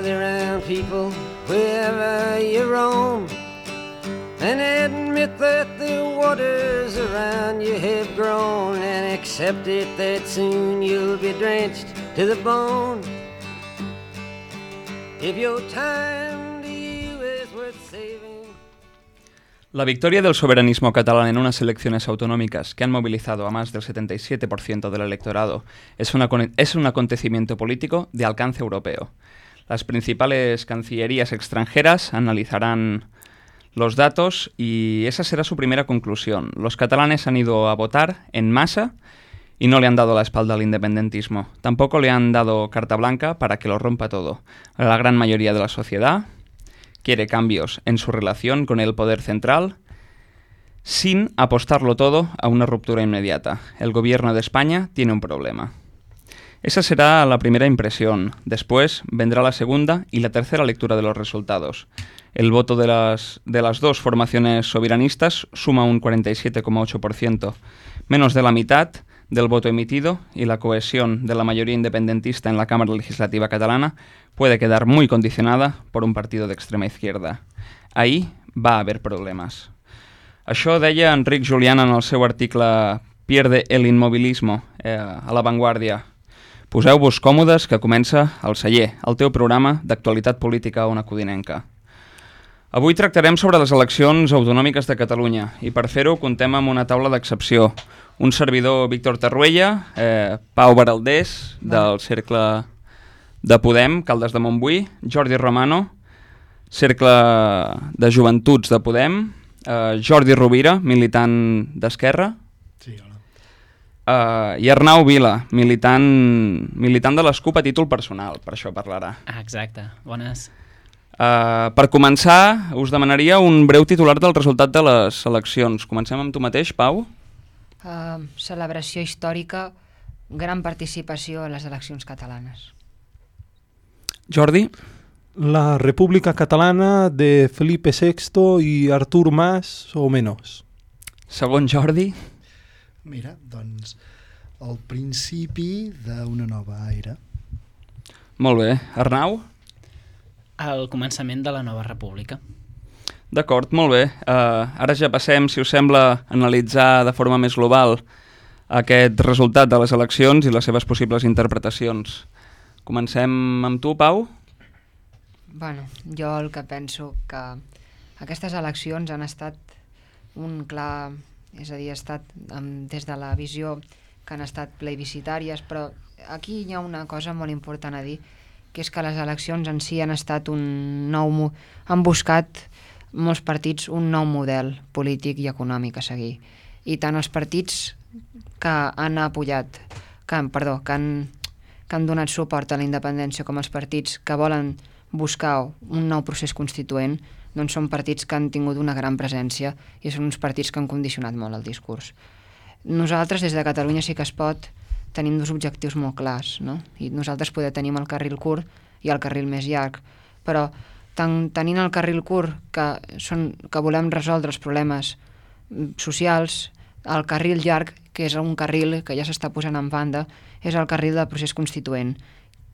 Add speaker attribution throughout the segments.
Speaker 1: gather round people wherever you roam, and admit that the waters around you have grown, and accept it that soon you'll be drenched to the bone. If your time to you is worth saving.
Speaker 2: La victoria del soberanismo catalán en unas elecciones autonómicas que han movilizado a más del 77% del electorado es un acontecimiento político de alcance europeo. Las principales cancillerías extranjeras analizarán los datos y esa será su primera conclusión. Los catalanes han ido a votar en masa y no le han dado la espalda al independentismo. Tampoco le han dado carta blanca para que lo rompa todo. La gran mayoría de la sociedad quiere cambios en su relación con el poder central sin apostarlo todo a una ruptura inmediata. El gobierno de España tiene un problema. Esa será la primera impresión. Después vendrá la segunda y la tercera lectura de los resultados. El voto de las dos formaciones soberanistas suma un 47,8%, menos de la mitad del voto emitido, y la cohesión de la mayoría independentista en la Cámara Legislativa catalana puede quedar muy condicionada por un partido de extrema izquierda. Ahí va a haver problemes. Això deia Enric Julián en el seu article Pierde el inmovilismo a La Vanguardia. Poseu-vos còmodes que comença El Celler, el teu programa d'actualitat política a Ona Codinenca. Avui tractarem sobre les eleccions autonòmiques de Catalunya i per fer-ho contem amb una taula d'excepció. Un servidor, Víctor Tarruella, Pau Baraldés, del Cercle de Podem, Caldes de Montbui, Jordi Romano, Cercle de Joventuts de Podem, Jordi Rovira, militant d'Esquerra,
Speaker 3: sí, hola.
Speaker 2: I Arnau Vila, militant de l'ESCUP a títol personal, per això parlarà.
Speaker 4: Exacte, bones.
Speaker 2: Per començar, us demanaria un breu titular del resultat de les eleccions. Comencem amb tu mateix, Pau.
Speaker 5: Celebració històrica, gran participació en les eleccions catalanes.
Speaker 2: Jordi.
Speaker 3: La República Catalana de Felipe VI i Artur Mas o menys.
Speaker 2: Segon Jordi.
Speaker 6: Mira, doncs, el principi d'una nova era.
Speaker 2: Molt bé. Arnau?
Speaker 4: El començament de la nova república.
Speaker 2: D'acord, molt bé. Ara ja passem, si us sembla, a analitzar de forma més global aquest resultat de les eleccions i les seves possibles interpretacions. Comencem amb tu, Pau?
Speaker 5: Bueno, jo el que penso que aquestes eleccions han estat un clar... És a dir, ha estat des de la visió que han estat plebiscitàries, però aquí hi ha una cosa molt important a dir, que és que les eleccions en si han estat han buscat molts partits un nou model polític i econòmic a seguir. I tant els partits que han apoyat, que han donat suport a la independència, com els partits que volen buscar un nou procés constituent, doncs són partits que han tingut una gran presència i són uns partits que han condicionat molt el discurs. Nosaltres, des de Catalunya Sí que es pot, tenim dos objectius molt clars, no? I nosaltres tenim el carril curt i el carril més llarg, però tenint el carril curt, que volem resoldre els problemes socials, el carril llarg, que és un carril que ja s'està posant en banda, és el carril del procés constituent,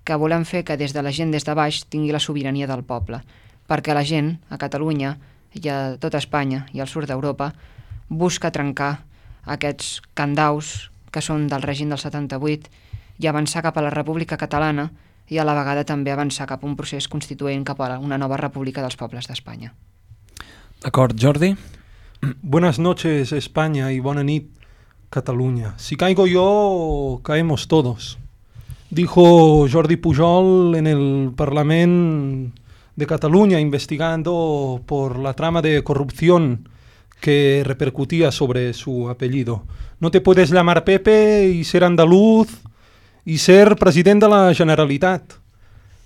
Speaker 5: que volem fer que des de la gent, des de baix, tingui la sobirania del poble, perquè la gent, a Catalunya i a tota Espanya i al sud d'Europa, busca trencar aquests candaus que són del règim del 78 i avançar cap a la República Catalana i a la vegada també avançar cap a un procés constituent cap a una nova república dels pobles d'Espanya.
Speaker 2: D'acord, Jordi?
Speaker 3: Buenas noches, España, y buena nit, Cataluña. Si caigo yo, caemos todos. Dijo Jordi Pujol en el Parlamento de Cataluña investigando por la trama de corrupción que repercutía sobre su apellido. No te puedes llamar Pepe y ser andaluz y ser presidente de la Generalitat,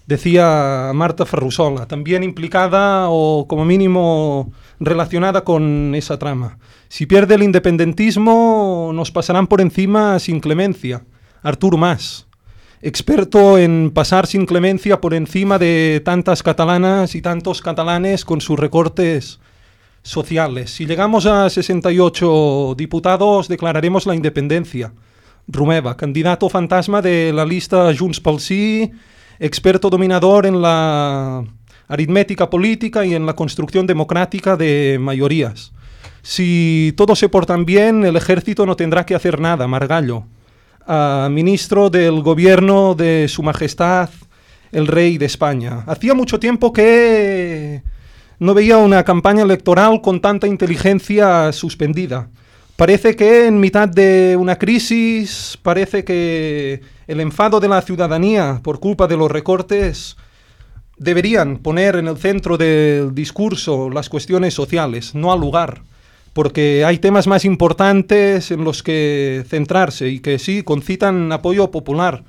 Speaker 3: decía Marta Ferrusola, también implicada o como mínimo relacionada con esa trama. Si pierde el independentismo nos pasarán por encima sin clemencia. Artur Mas, experto en pasar sin clemencia por encima de tantas catalanas y tantos catalanes con sus recortes sociales. Si llegamos a 68 diputados, declararemos la independencia. Romeva, candidato fantasma de la lista Junts pel Sí, experto dominador en la aritmética política y en la construcción democrática de mayorías. Si todos se portan bien, el ejército no tendrá que hacer nada, Margallo. Ministro del gobierno de Su Majestad el Rey de España. Hacía mucho tiempo que no veía una campaña electoral con tanta inteligencia suspendida. Parece que en mitad de una crisis, parece que el enfado de la ciudadanía por culpa de los recortes deberían poner en el centro del discurso las cuestiones sociales, no al lugar, porque hay temas más importantes en los que centrarse y que sí concitan apoyo popular,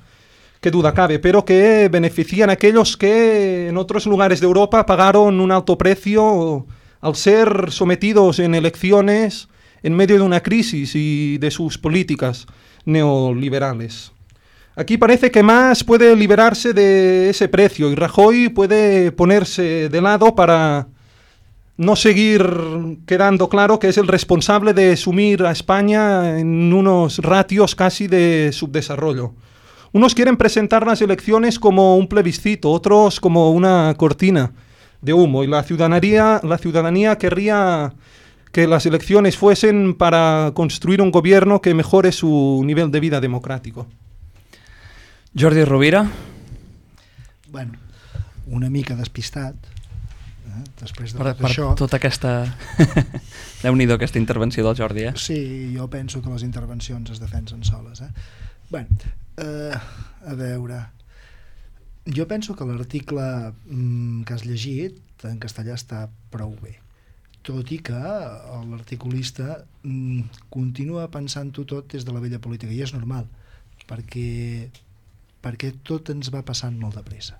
Speaker 3: qué duda cabe, pero que benefician a aquellos que en otros lugares de Europa pagaron un alto precio al ser sometidos en elecciones en medio de una crisis y de sus políticas neoliberales. Aquí parece que Mas puede liberarse de ese precio y Rajoy puede ponerse de lado para no seguir quedando claro que es el responsable de sumir a España en unos ratios casi de subdesarrollo. Unos quieren presentar las elecciones como un plebiscito, otros como una cortina de humo, y la ciudadanía querría que las elecciones fuesen para construir un gobierno que mejore su nivel de vida democrático.
Speaker 2: Jordi Rovira.
Speaker 6: Bueno, una mica despistat, després de
Speaker 2: Per
Speaker 6: tot això.
Speaker 2: tota aquesta... Déu-n'hi-do aquesta intervenció del Jordi,
Speaker 6: Sí, jo penso que les intervencions es defensen soles. Bueno, a veure, jo penso que l'article que has llegit en castellà està prou bé, tot i que l'articulista continua pensant-ho tot des de la vella política, i és normal, perquè tot ens va passant molt de pressa.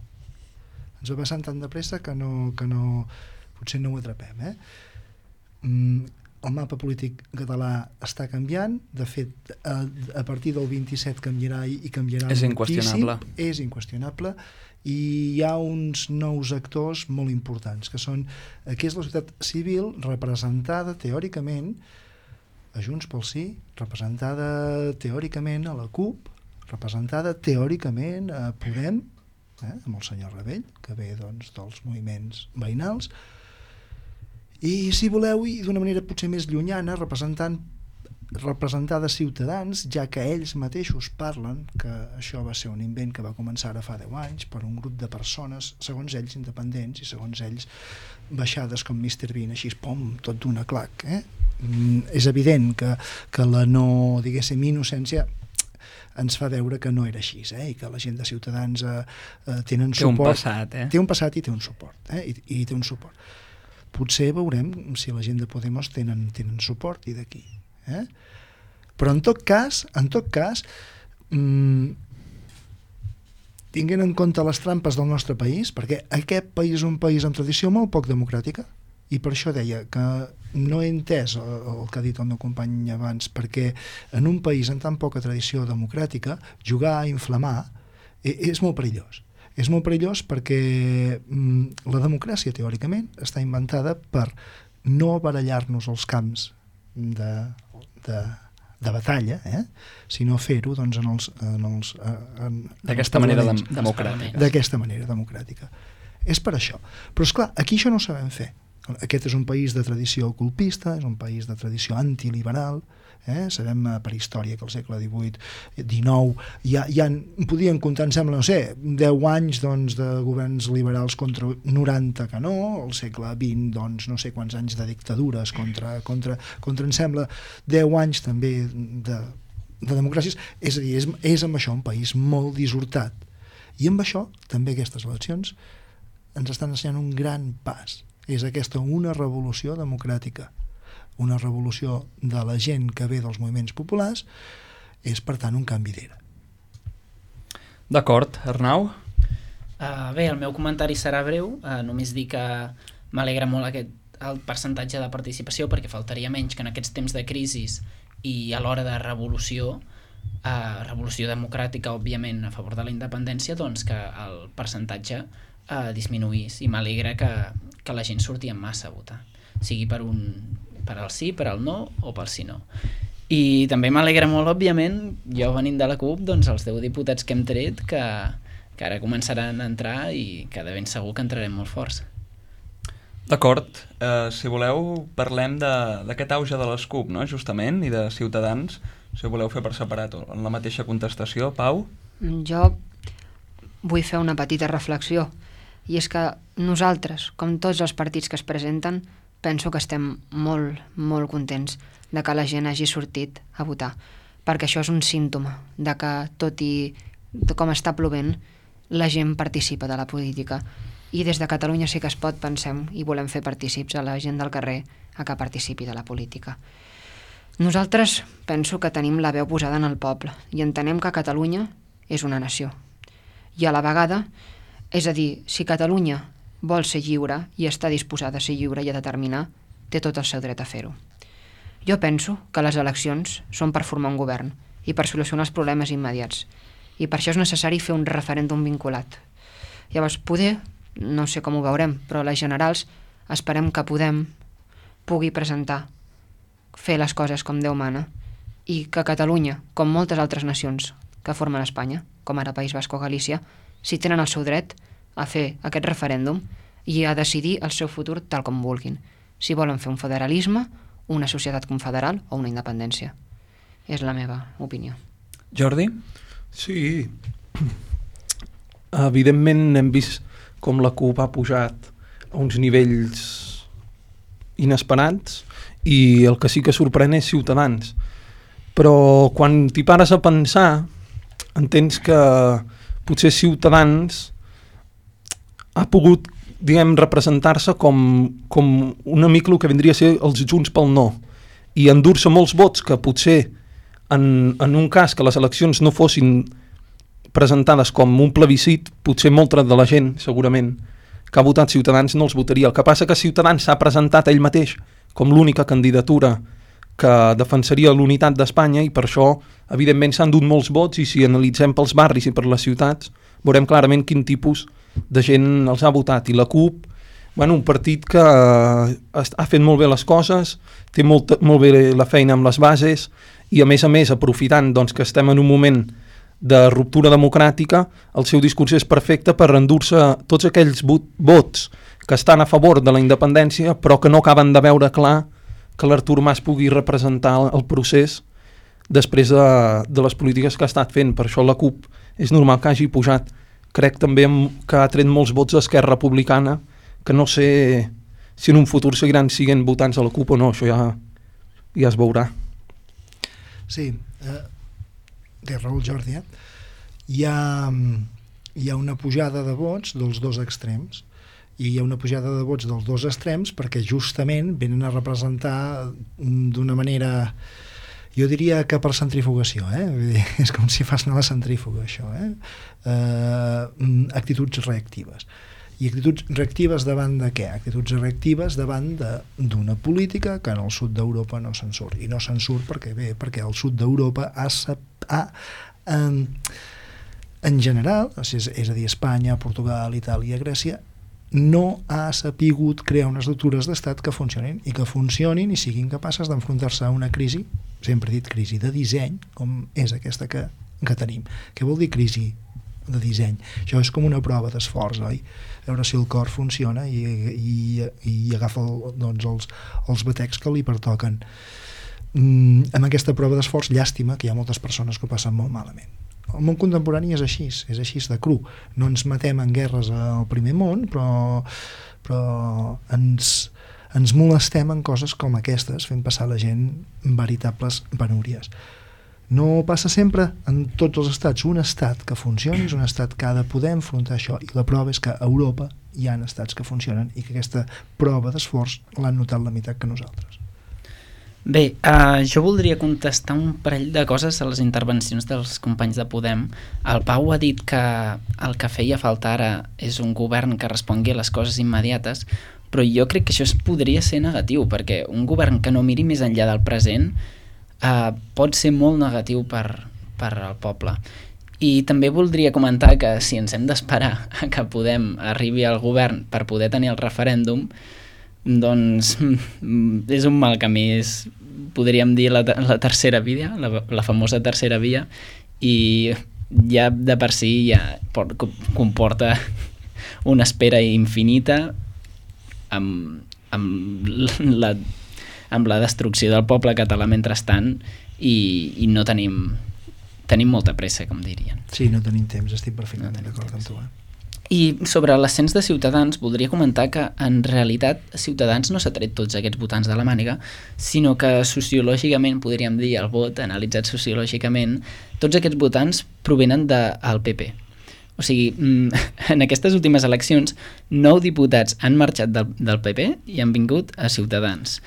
Speaker 6: Ens va passant tan de pressa que potser no ho atrapem. El mapa polític català està canviant, de fet a partir del 27 canviarà i canviarà
Speaker 2: és
Speaker 6: moltíssim,
Speaker 2: inqüestionable.
Speaker 6: és inqüestionable, i hi ha uns nous actors molt importants que són, que és la societat civil representada teòricament a Junts pel Sí, representada teòricament a la CUP, representada teòricament a Podem, amb el senyor Rebell, que ve doncs dels moviments veïnals, i si voleu, i d'una manera potser més llunyana, representada Ciutadans, ja que ells mateixos parlen que això va ser un invent que va començar ara fa 10 anys per un grup de persones, segons ells independents i segons ells baixades com Mr. Bean, així pom, tot d'una clac. És evident que la no, diguéssim, innocència ens fa veure que no era així, i que la gent de Ciutadans tenen suport. Té un passat i té un suport, i té un suport. Potser veurem si la gent de Podemos tenen suport i d'aquí. Però en tot cas, tinguent en compte les trampes del nostre país, perquè aquest país és un país amb tradició molt poc democràtica, i per això deia que no he entès el que ha dit el meu company abans, perquè en un país amb tan poca tradició democràtica jugar a inflamar és molt perillós. És molt perillós perquè la democràcia teòricament està inventada per no barallar-nos els camps de batalla, sinó fer-ho doncs,
Speaker 2: d'aquesta manera democràtica.
Speaker 6: D'aquesta manera democràtica. És per això. Però esclar, aquí això no ho sabem fer. Aquest és un país de tradició colpista, és un país de tradició antiliberal, sabem per història que al segle XIX ja podien comptar, em sembla, no sé, 10 anys doncs, de governs liberals contra 90 que no, al segle XX doncs, no sé quants anys de dictadures contra em sembla 10 anys també de democràcies, és a dir, és amb això un país molt dissortat, i amb això també aquestes eleccions ens estan ensenyant un gran pas. És aquesta una revolució democràtica, una revolució de la gent que ve dels moviments populars, és per tant un canvi d'era.
Speaker 2: D'acord, Arnau?
Speaker 4: Bé, el meu comentari serà breu, només dir que m'alegra molt el percentatge de participació, perquè faltaria menys que en aquests temps de crisi i a l'hora de revolució democràtica, òbviament a favor de la independència, doncs que el percentatge disminuís, i m'alegra que la gent surti en massa a votar, sigui per al sí, per al no o pel sí no. I també m'alegra molt, òbviament, jo venint de la CUP, doncs els 10 diputats que hem tret que que ara començaran a entrar i que de ben segur que entrarem molt forts.
Speaker 2: D'acord, si voleu parlem d'aquest auge de les CUP, no? Justament, i de Ciutadans, si ho voleu fer per separat o en la mateixa contestació. Pau?
Speaker 5: Jo vull fer una petita reflexió, i és que nosaltres, com tots els partits que es presenten, penso que estem molt, molt contents de que la gent hagi sortit a votar, perquè això és un símptoma de que, tot i com està plovent, la gent participa de la política. I des de Catalunya Sí que es pot pensem i volem fer partícips a la gent del carrer a que participi de la política. Nosaltres penso que tenim la veu posada en el poble i entenem que Catalunya és una nació. I a la vegada, és a dir, si Catalunya vol ser lliure i està disposada a ser lliure i a determinar, té tot el seu dret a fer-ho. Jo penso que les eleccions són per formar un govern i per solucionar els problemes immediats. I per això és necessari fer un referèndum vinculat. Llavors, poder, no sé com ho veurem, però a les generals esperem que pugui presentar, fer les coses com Déu mana, i que Catalunya, com moltes altres nacions que formen Espanya, com ara País Basc o Galícia, si tenen el seu dret a fer aquest referèndum i a decidir el seu futur tal com vulguin, si volen fer un federalisme, una societat confederal o una independència. És la meva opinió.
Speaker 2: Jordi?
Speaker 3: Sí, evidentment hem vist com la CUP ha pujat a uns nivells inesperats i el que sí que sorprèn és Ciutadans. Però quan t'hi pares a pensar, entens que potser Ciutadans ha pogut, diguem, representar-se com una mica el que vindria a ser els Junts pel No, i endur-se molts vots que potser en un cas que les eleccions no fossin presentades com un plebiscit, potser molta de la gent, segurament, que ha votat Ciutadans no els votaria. El que passa que Ciutadans s'ha presentat ell mateix com l'única candidatura que defensaria l'unitat d'Espanya i per això, evidentment, s'han dut molts vots i si analitzem pels barris i per les ciutats, veurem clarament quin tipus de gent els ha votat. I la CUP, bueno, un partit que ha fet molt bé les coses, té molt bé la feina amb les bases i, a més, aprofitant doncs, que estem en un moment de ruptura democràtica, el seu discurs és perfecte per endur-se tots aquells vots que estan a favor de la independència però que no acaben de veure clar que l'Artur Mas pugui representar el procés després de les polítiques que ha estat fent. Per això la CUP és normal que hagi pujat. Crec també que ha tret molts vots d'Esquerra Republicana, que no sé si en un futur seguiran sent votants a la CUP o no, això ja es veurà.
Speaker 6: Sí, té raó el Jordi, hi ha una pujada de vots dels dos extrems i hi ha una pujada de vots dels dos extrems perquè justament venen a representar d'una manera, jo diria que per centrifugació, vull dir, és com si fas anar la centrífuga això, actituds reactives. I actituds reactives davant de què? Actituds reactives davant d'una política que en el sud d'Europa no se'n surt. I no se'n surt perquè el sud d'Europa en general, és a dir, Espanya, Portugal, Itàlia, Grècia, no ha sapigut crear unes estructures d'estat que funcionin i siguin capaces d'enfrontar-se a una crisi, sempre he dit crisi de disseny, com és aquesta que tenim. Què vol dir crisi de disseny? Això és com una prova d'esforç, oi? A veure si el cor funciona i agafa doncs, els batecs que li pertoquen. Amb aquesta prova d'esforç, llàstima que hi ha moltes persones que ho passen molt malament. El món contemporani és així de cru. No ens matem en guerres al primer món, però ens molestem en coses com aquestes, fent passar la gent veritables penúries. No passa sempre en tots els estats. Un estat que funcioni és un estat que ha de poder enfrontar això, i la prova és que a Europa hi ha estats que funcionen i que aquesta prova d'esforç l'han notat la meitat que nosaltres.
Speaker 4: Bé, jo voldria contestar un parell de coses a les intervencions dels companys de Podem. El Pau ha dit que el que feia falta ara és un govern que respongui a les coses immediates, però jo crec que això podria ser negatiu, perquè un govern que no miri més enllà del present pot ser molt negatiu per al poble. I també voldria comentar que si ens hem d'esperar que Podem arribi al govern per poder tenir el referèndum, doncs és un mal camí, podríem dir la tercera via, la famosa tercera via, i ja de per si ja comporta una espera infinita amb la destrucció del poble català mentrestant i no tenim molta pressa, com dirien.
Speaker 6: Sí, no tenim temps, estic perfectament d'acord amb tu.
Speaker 4: I sobre l'ascens de Ciutadans voldria comentar que en realitat Ciutadans no s'ha tret tots aquests votants de la màniga, sinó que sociològicament, podríem dir, el vot, analitzat sociològicament, tots aquests votants provenen del PP. O sigui, en aquestes últimes eleccions 9 diputats han marxat del PP i han vingut a Ciutadans.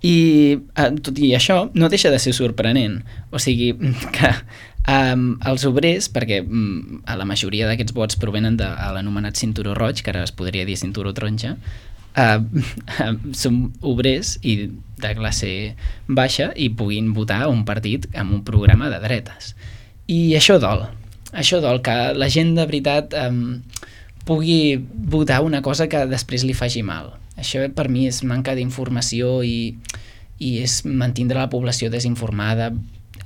Speaker 4: I tot i això no deixa de ser sorprenent. O sigui que els obrers, perquè la majoria d'aquests vots provenen de l'anomenat cinturó roig, que ara es podria dir cinturó taronja, són obrers i de classe baixa i puguin votar un partit amb un programa de dretes. I això dol que la gent de veritat pugui votar una cosa que després li faci mal. Això per mi és manca d'informació i és mantindre la població desinformada,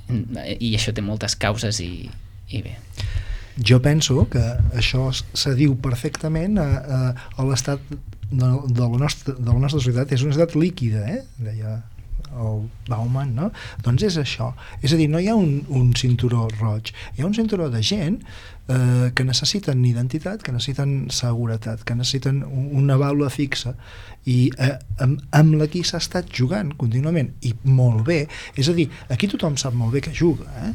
Speaker 4: i això té moltes causes i bé.
Speaker 6: Jo penso que això s'adiu perfectament a l'estat de la nostra societat. És una societat líquida, deia el Bauman, no? Doncs és això. És a dir, no hi ha un cinturó roig, hi ha un cinturó de gent que necessiten identitat, que necessiten seguretat, que necessiten una vàlua fixa i amb la qui s'ha estat jugant contínuament, i molt bé. És a dir, aquí tothom sap molt bé que juga,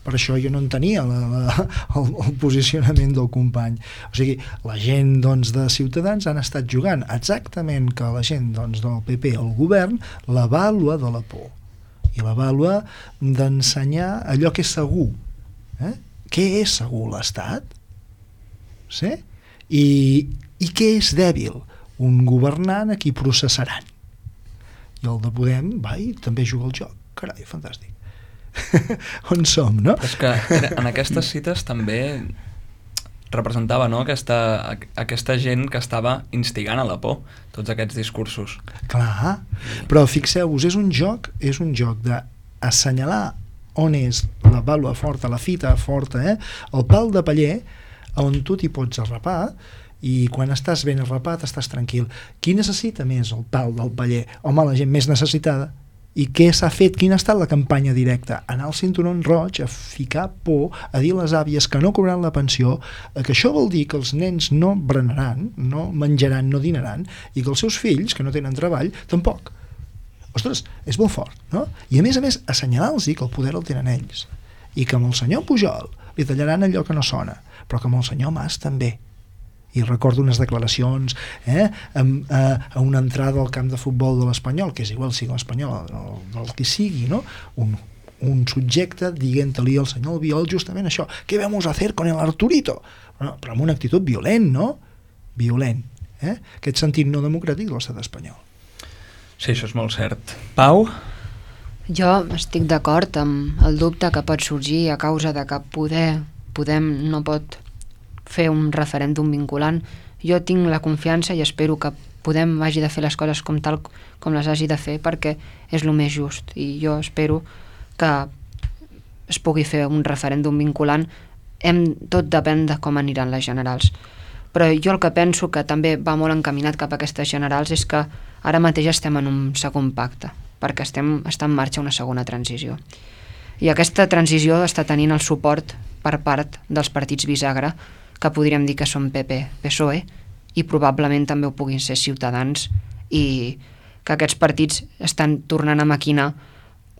Speaker 6: per això jo no entenia el posicionament del company. O sigui, la gent de Ciutadans han estat jugant exactament que la gent del PP al govern la vàlua de la por i la vàlua d'ensenyar allò que és segur. Què és segur? L'Estat? Sí? I què és dèbil? Un governant a qui processaran. I el de Podem va i també juga al joc. Carai, fantàstic. On som, no?
Speaker 2: És que en aquestes cites també representava, no?, aquesta gent que estava instigant a la por, tots aquests discursos.
Speaker 6: Clar, però fixeu-vos, és un joc d'assenyalar on és la vàlua forta, la fita forta, el pal de paller, on tu t'hi pots arrapar, i quan estàs ben arrapat estàs tranquil. Qui necessita més el pal del paller? Home, la gent més necessitada. I què s'ha fet? Quina ha estat la campanya directa? Anar al cinturó roig, a ficar por, a dir a les àvies que no cobraran la pensió, que això vol dir que els nens no berenaran, no menjaran, no dinaran, i que els seus fills, que no tenen treball, tampoc. Ostres, és molt fort, no? I a més, assenyalar-los que el poder el tenen ells, i que amb el senyor Pujol li tallaran allò que no sona, però que amb el senyor Mas també. I recordo unes declaracions a una entrada al camp de futbol de l'Espanyol, que és igual sigui l'Espanyol del que sigui, no? Un subjecte dient-li al senyor Albiol justament això: què vamos a hacer con el Arturito? Però amb una actitud violent, no? Violent. Aquest sentit no democràtic de l'estat espanyol.
Speaker 2: Sí, això és molt cert. Pau?
Speaker 5: Jo estic d'acord amb el dubte que pot sorgir a causa de que Podem no pot fer un referèndum vinculant. Jo tinc la confiança i espero que Podem hagi de fer les coses tal com les hagi de fer, perquè és el més just, i jo espero que es pugui fer un referèndum vinculant. Tot depèn de com aniran les generals, però jo el que penso que també va molt encaminat cap a aquestes generals és que ara mateix estem en un segon pacte, perquè està en marxa una segona transició, i aquesta transició està tenint el suport per part dels partits bisagra, que podríem dir que són PP, PSOE, i probablement també ho puguin ser Ciutadans, i que aquests partits estan tornant a maquinar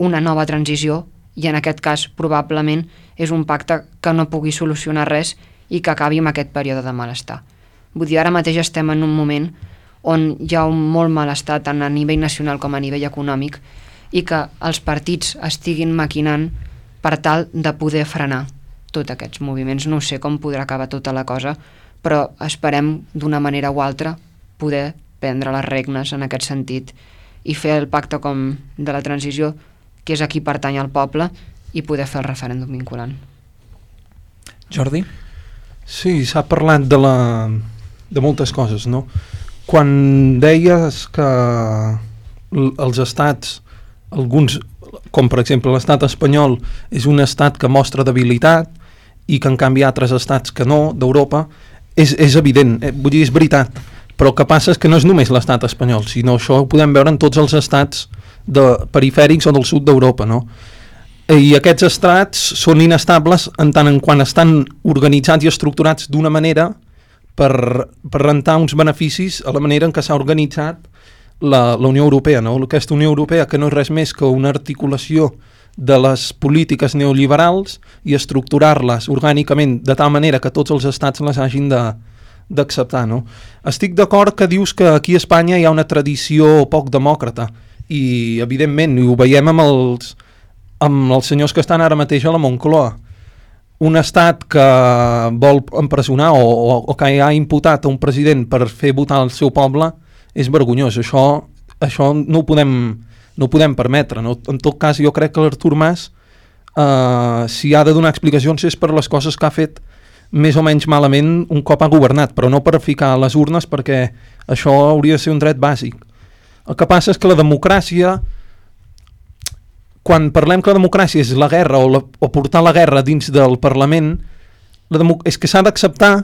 Speaker 5: una nova transició, i en aquest cas probablement és un pacte que no pugui solucionar res i que acabi amb aquest període de malestar. Vull dir, ara mateix estem en un moment on hi ha un molt malestar tant a nivell nacional com a nivell econòmic, i que els partits estiguin maquinant per tal de poder frenar tots aquests moviments. No sé com podrà acabar tota la cosa, però esperem d'una manera o altra poder prendre les regnes en aquest sentit i fer el pacte com de la transició, que és a qui pertany al poble, i poder fer el referèndum vinculant.
Speaker 2: Jordi?
Speaker 3: Sí, s'ha parlat de moltes coses, no? Quan deies que els estats, alguns, com per exemple l'estat espanyol, és un estat que mostra debilitat i que en canvi altres estats que no, d'Europa, és evident, vull dir, és veritat, però el que passa és que no és només l'estat espanyol, sinó això ho podem veure en tots els estats perifèrics o del sud d'Europa, no? I aquests estats són inestables en tant en quant estan organitzats i estructurats d'una manera per rentar uns beneficis a la manera en què s'ha organitzat la Unió Europea, no? Aquesta Unió Europea, que no és res més que una articulació de les polítiques neoliberals i estructurar-les orgànicament de tal manera que tots els estats les hagin d'acceptar, no? Estic d'acord que dius que aquí a Espanya hi ha una tradició poc demòcrata i evidentment ho veiem amb els senyors que estan ara mateix a la Moncloa. Un estat que vol empresonar o que ha imputat a un president per fer votar el seu poble és vergonyós. Això no ho podem permetre, no? En tot cas, jo crec que l'Artur Mas, si ha de donar explicacions, és per les coses que ha fet més o menys malament un cop ha governat, però no per ficar les urnes, perquè això hauria de ser un dret bàsic. El que passa és que la democràcia, quan parlem que la democràcia és la guerra o portar la guerra dins del Parlament, és que s'ha d'acceptar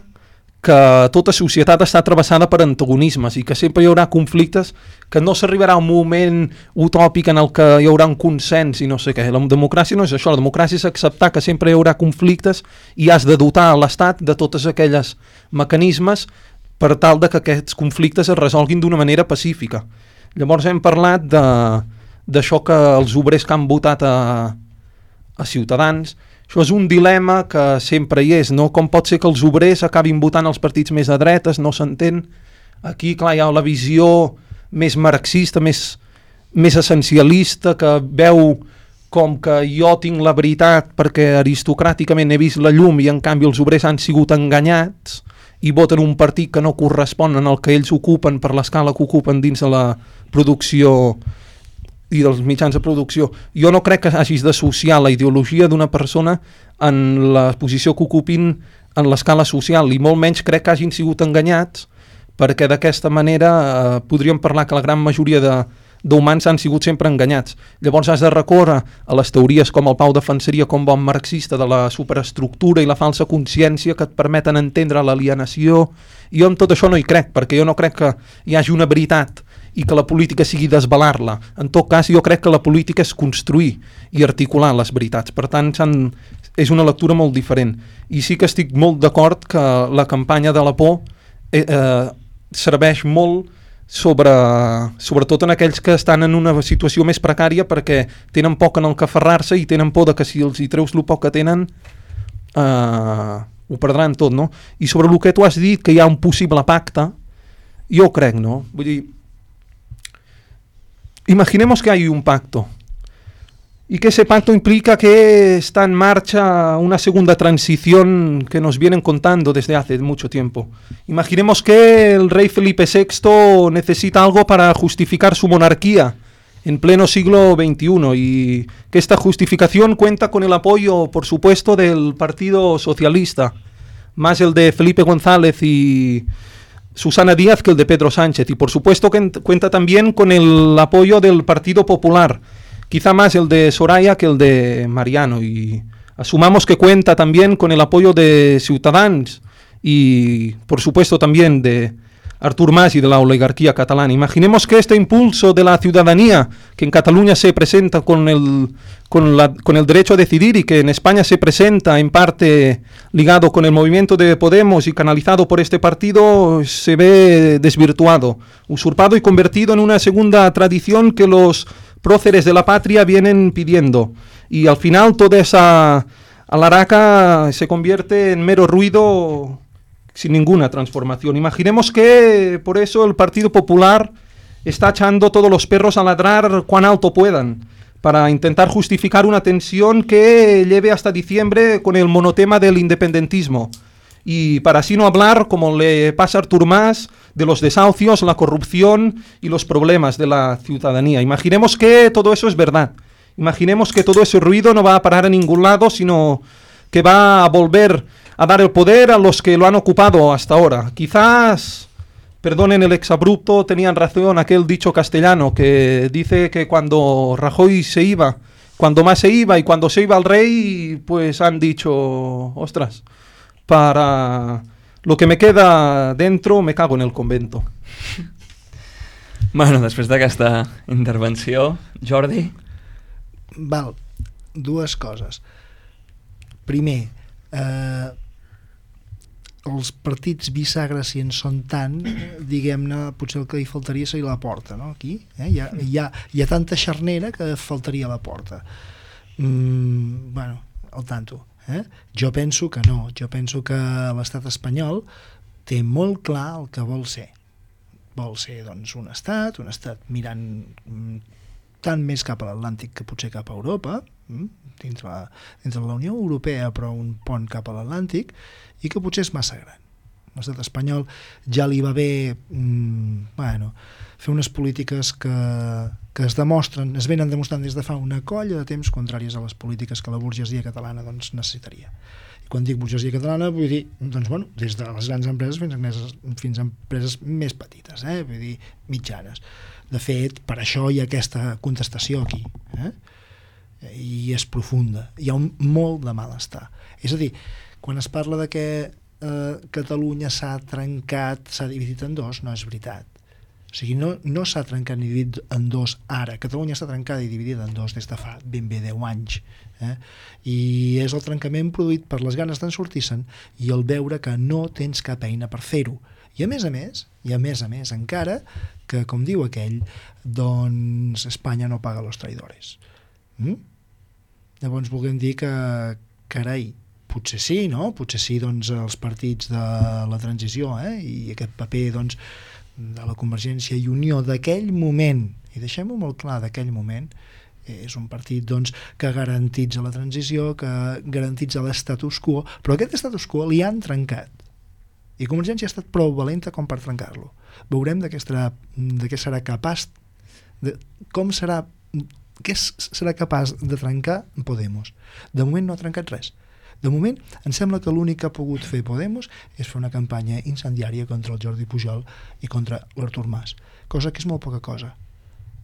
Speaker 3: que tota societat està travessada per antagonismes i que sempre hi haurà conflictes, que no s'arribarà a un moment utòpic en el que hi haurà un consens i no sé què. La democràcia no és això, la democràcia és acceptar que sempre hi haurà conflictes i has de dotar l'Estat de totes aquelles mecanismes per tal de que aquests conflictes es resolguin d'una manera pacífica. Llavors hem parlat d'això que els obrers que han votat a Ciutadans. Això és un dilema que sempre hi és, no? Com pot ser que els obrers acabin votant els partits més a dretes, no s'entén. Aquí, clar, hi ha la visió més marxista, més essencialista, que veu com que jo tinc la veritat perquè aristocràticament he vist la llum i en canvi els obrers han sigut enganyats i voten un partit que no correspon en el que ells ocupen per l'escala que ocupen dins de la producció i dels mitjans de producció. Jo no crec que hagis d'associar la ideologia d'una persona en la posició que ocupin en l'escala social, i molt menys crec que hagin sigut enganyats, perquè d'aquesta manera podríem parlar que la gran majoria d'humans han sigut sempre enganyats. Llavors has de recórrer a les teories com el Pau defensaria com bon marxista de la superestructura i la falsa consciència que et permeten entendre l'alienació. Jo amb tot això no hi crec, perquè jo no crec que hi hagi una veritat i que la política sigui desvelar-la. En tot cas, jo crec que la política és construir i articular les veritats. Per tant, és una lectura molt diferent. I sí que estic molt d'acord que la campanya de la por serveix molt sobretot en aquells que estan en una situació més precària, perquè tenen poc en el que aferrar-se i tenen por de que si els hi treus el poc que tenen ho perdran tot, no? I sobre el que tu has dit, que hi ha un possible pacte, jo crec, no? Vull dir, imaginemos que hay un pacto y que ese pacto implica que está en marcha una segunda transición que nos vienen contando desde hace mucho tiempo. Imaginemos que el rey Felipe VI necesita algo para justificar su monarquía en pleno siglo XXI y que esta justificación cuenta con el apoyo, por supuesto, del Partido Socialista, más el de Felipe González y Susana Díaz que el de Pedro Sánchez, y por supuesto que cuenta también con el apoyo del Partido Popular, quizá más el de Soraya que el de Mariano, y asumamos que cuenta también con el apoyo de Ciutadans y por supuesto también de Artur Mas y de la oligarquía catalana. Imaginemos que este impulso de la ciudadanía, que en Cataluña se presenta con el derecho a decidir y que en España se presenta en parte ligado con el movimiento de Podemos y canalizado por este partido, se ve desvirtuado, usurpado y convertido en una segunda tradición que los próceres de la patria vienen pidiendo. Y al final toda esa alaraca se convierte en mero ruido sin ninguna transformación. Imaginemos que por eso el Partido Popular está echando todos los perros a ladrar cuán alto puedan, para intentar justificar una tensión que lleve hasta diciembre con el monotema del independentismo. Y para así no hablar, como le pasa a Artur Mas, de los desahucios, la corrupción y los problemas de la ciudadanía. Imaginemos que todo eso es verdad. Imaginemos que todo ese ruido no va a parar a ningún lado, sino que va a volver a dar el poder a los que lo han ocupado hasta ahora. Quizás, perdonen el exabrupto, tenían razón aquel dicho castellano que dice que cuando Rajoy se iba cuando más se iba y cuando se iba el rey, pues han dicho, ostras, para lo que me queda dentro me cago en el convento.
Speaker 2: Bueno, després d'aquesta intervenció, Jordi?
Speaker 6: Val, dues coses. Primer, els partits bisagres, si en són tant, diguem-ne, potser el que hi faltaria seria la porta, no? Aquí hi ha tanta xarnera que faltaria la porta. Bueno, al tanto. Jo penso que no, jo penso que l'estat espanyol té molt clar el que vol ser. Vol ser, doncs, un estat mirant tant més cap a l'Atlàntic que potser cap a Europa, dins la Unió Europea, però un pont cap a l'Atlàntic, i que potser és massa gran. L'estat espanyol ja li va bé fer unes polítiques que es venen demostrant des de fa una colla de temps contràries a les polítiques que la burgesia catalana doncs, necessitaria. I quan dic burgesia catalana vull dir, doncs, bueno, des de les grans empreses fins a empreses més petites, vull dir, mitjanes. De fet, per això hi ha aquesta contestació aquí, i és profunda. Hi ha molt de malestar. És a dir, quan es parla de que Catalunya s'ha trencat, s'ha dividit en dos, no és veritat. O sigui, no s'ha trencat ni dividit en dos ara. Catalunya està trencada i dividida en dos des de fa ben bé 10 anys. I és el trencament produït per les ganes d'en sortir-se'n i el veure que no tens cap eina per fer-ho. I a més a més, encara que, com diu aquell, doncs Espanya no paga los traidores. Llavors volem dir que, carai, potser sí, no? Potser sí, doncs, els partits de la transició, i aquest paper, doncs, de la Convergència i Unió d'aquell moment, i deixem-ho molt clar, d'aquell moment, és un partit, doncs, que garantitza la transició, que garantitza l'estatus quo, però aquest status quo li han trencat. I Convergència ha estat prou valenta com per trencar-lo. Veurem de què serà capaç, què serà capaç de trencar Podemos. De moment no ha trencat res. De moment, em sembla que l'únic que ha pogut fer Podemos és fer una campanya incendiària contra el Jordi Pujol i contra l'Artur Mas, cosa que és molt poca cosa.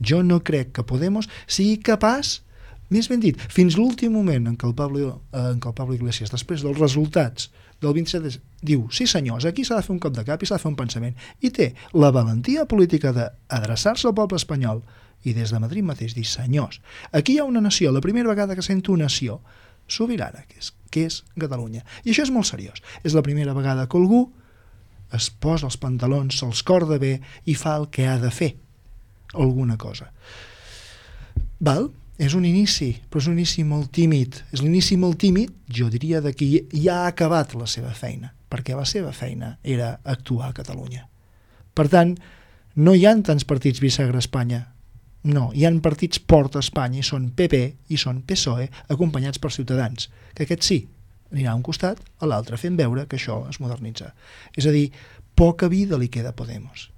Speaker 6: Jo no crec que Podemos sigui capaç, més ben dit, fins l'últim moment en què el Pablo Iglesias, després dels resultats del 27, diu, sí senyors, aquí s'ha de fer un cop de cap i s'ha de fer un pensament, i té la valentia política d'adreçar-se al poble espanyol i des de Madrid mateix dir, senyors, aquí hi ha una nació, la primera vegada que sento una nació sobirana, que és Catalunya. I això és molt seriós. És la primera vegada que algú es posa els pantalons, se'ls corda bé i fa el que ha de fer. Alguna cosa. Val? És un inici, però és un inici molt tímid. És l'inici molt tímid, jo diria, de qui ja ha acabat la seva feina, perquè la seva feina era actuar a Catalunya. Per tant, no hi ha tants partits bisagra a Espanya. No, hi ha partits porta a Espanya i són PP i són PSOE acompanyats per Ciutadans, que aquest sí, anirà a un costat, a l'altre, fent veure que això es modernitza. És a dir, poca vida li queda a Podemos.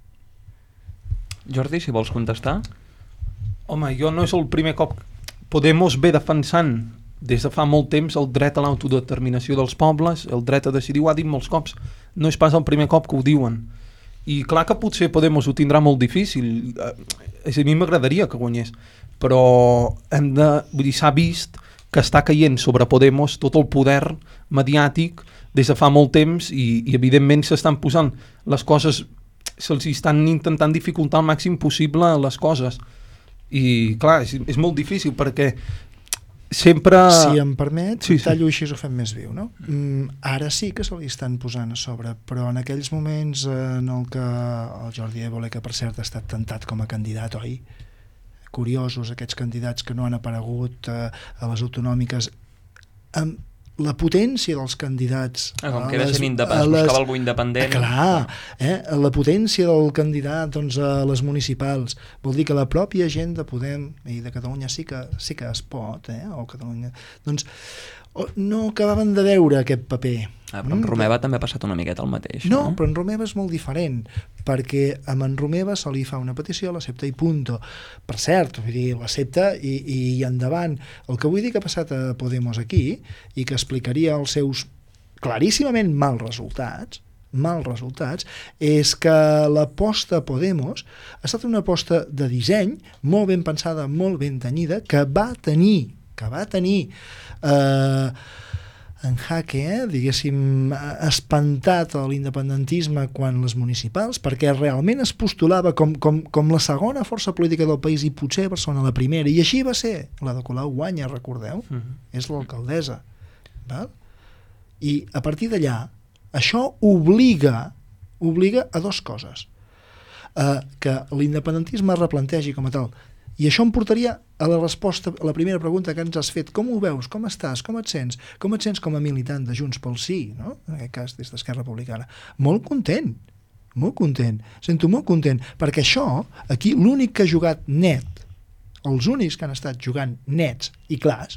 Speaker 2: Jordi, si vols contestar?
Speaker 3: Home, jo no és el primer cop. Podemos ve defensant des de fa molt temps el dret a l'autodeterminació dels pobles, el dret a decidir, ho ha dit molts cops. No és pas el primer cop que ho diuen. I clar que potser Podemos ho tindrà molt difícil. A mi m'agradaria que guanyés, però vull dir, s'ha vist que està caient sobre Podemos tot el poder mediàtic des de fa molt temps i evidentment s'estan posant les coses, se'ls estan intentant dificultar al màxim possible les coses. I clar, és molt difícil perquè sempre...
Speaker 6: Si em permet, tallo així ho fem més viu, no? Ara sí que se li estan posant a sobre, però en aquells moments en el que el Jordi Évole, que per cert ha estat tentat com a candidat, oi? Curiosos aquests candidats que no han aparegut a les autonòmiques, amb la potència dels candidats...
Speaker 2: com que era sent independent, buscava algú independent...
Speaker 6: Clar, la potència del candidat doncs, a les municipals, vol dir que la pròpia gent de Podem i de Catalunya sí que es pot, o Catalunya, doncs no acabaven de veure aquest paper.
Speaker 2: Però amb Romeva també ha passat una miqueta el mateix.
Speaker 6: No, però en Romeva és molt diferent, perquè amb en Romeva se li fa una petició, l'accepta i punto. Per cert, vull dir, l'accepta i endavant. El que vull dir que ha passat a Podemos aquí i que explicaria els seus claríssimament mals resultats, és que l'aposta a Podemos ha estat una aposta de disseny molt ben pensada, molt ben tenyida, que va tenir que va tenir en jaque, diguéssim, espantat l'independentisme quan les municipals, perquè realment es postulava com la segona força política del país i potser Barcelona la primera, i així va ser. La de Colau guanya, recordeu? És l'alcaldessa. Val? I a partir d'allà, això obliga a dues coses. Que l'independentisme es replantegi com a tal. I això em portaria a la resposta a la primera pregunta que ens has fet. Com ho veus? Com estàs? Com et sents? Com et sents com a militant de Junts pel Sí, no? En aquest cas des d'Esquerra Republicana. Molt content. Sento molt content, perquè això, aquí, l'únic que ha jugat net, els únics que han estat jugant nets i clars,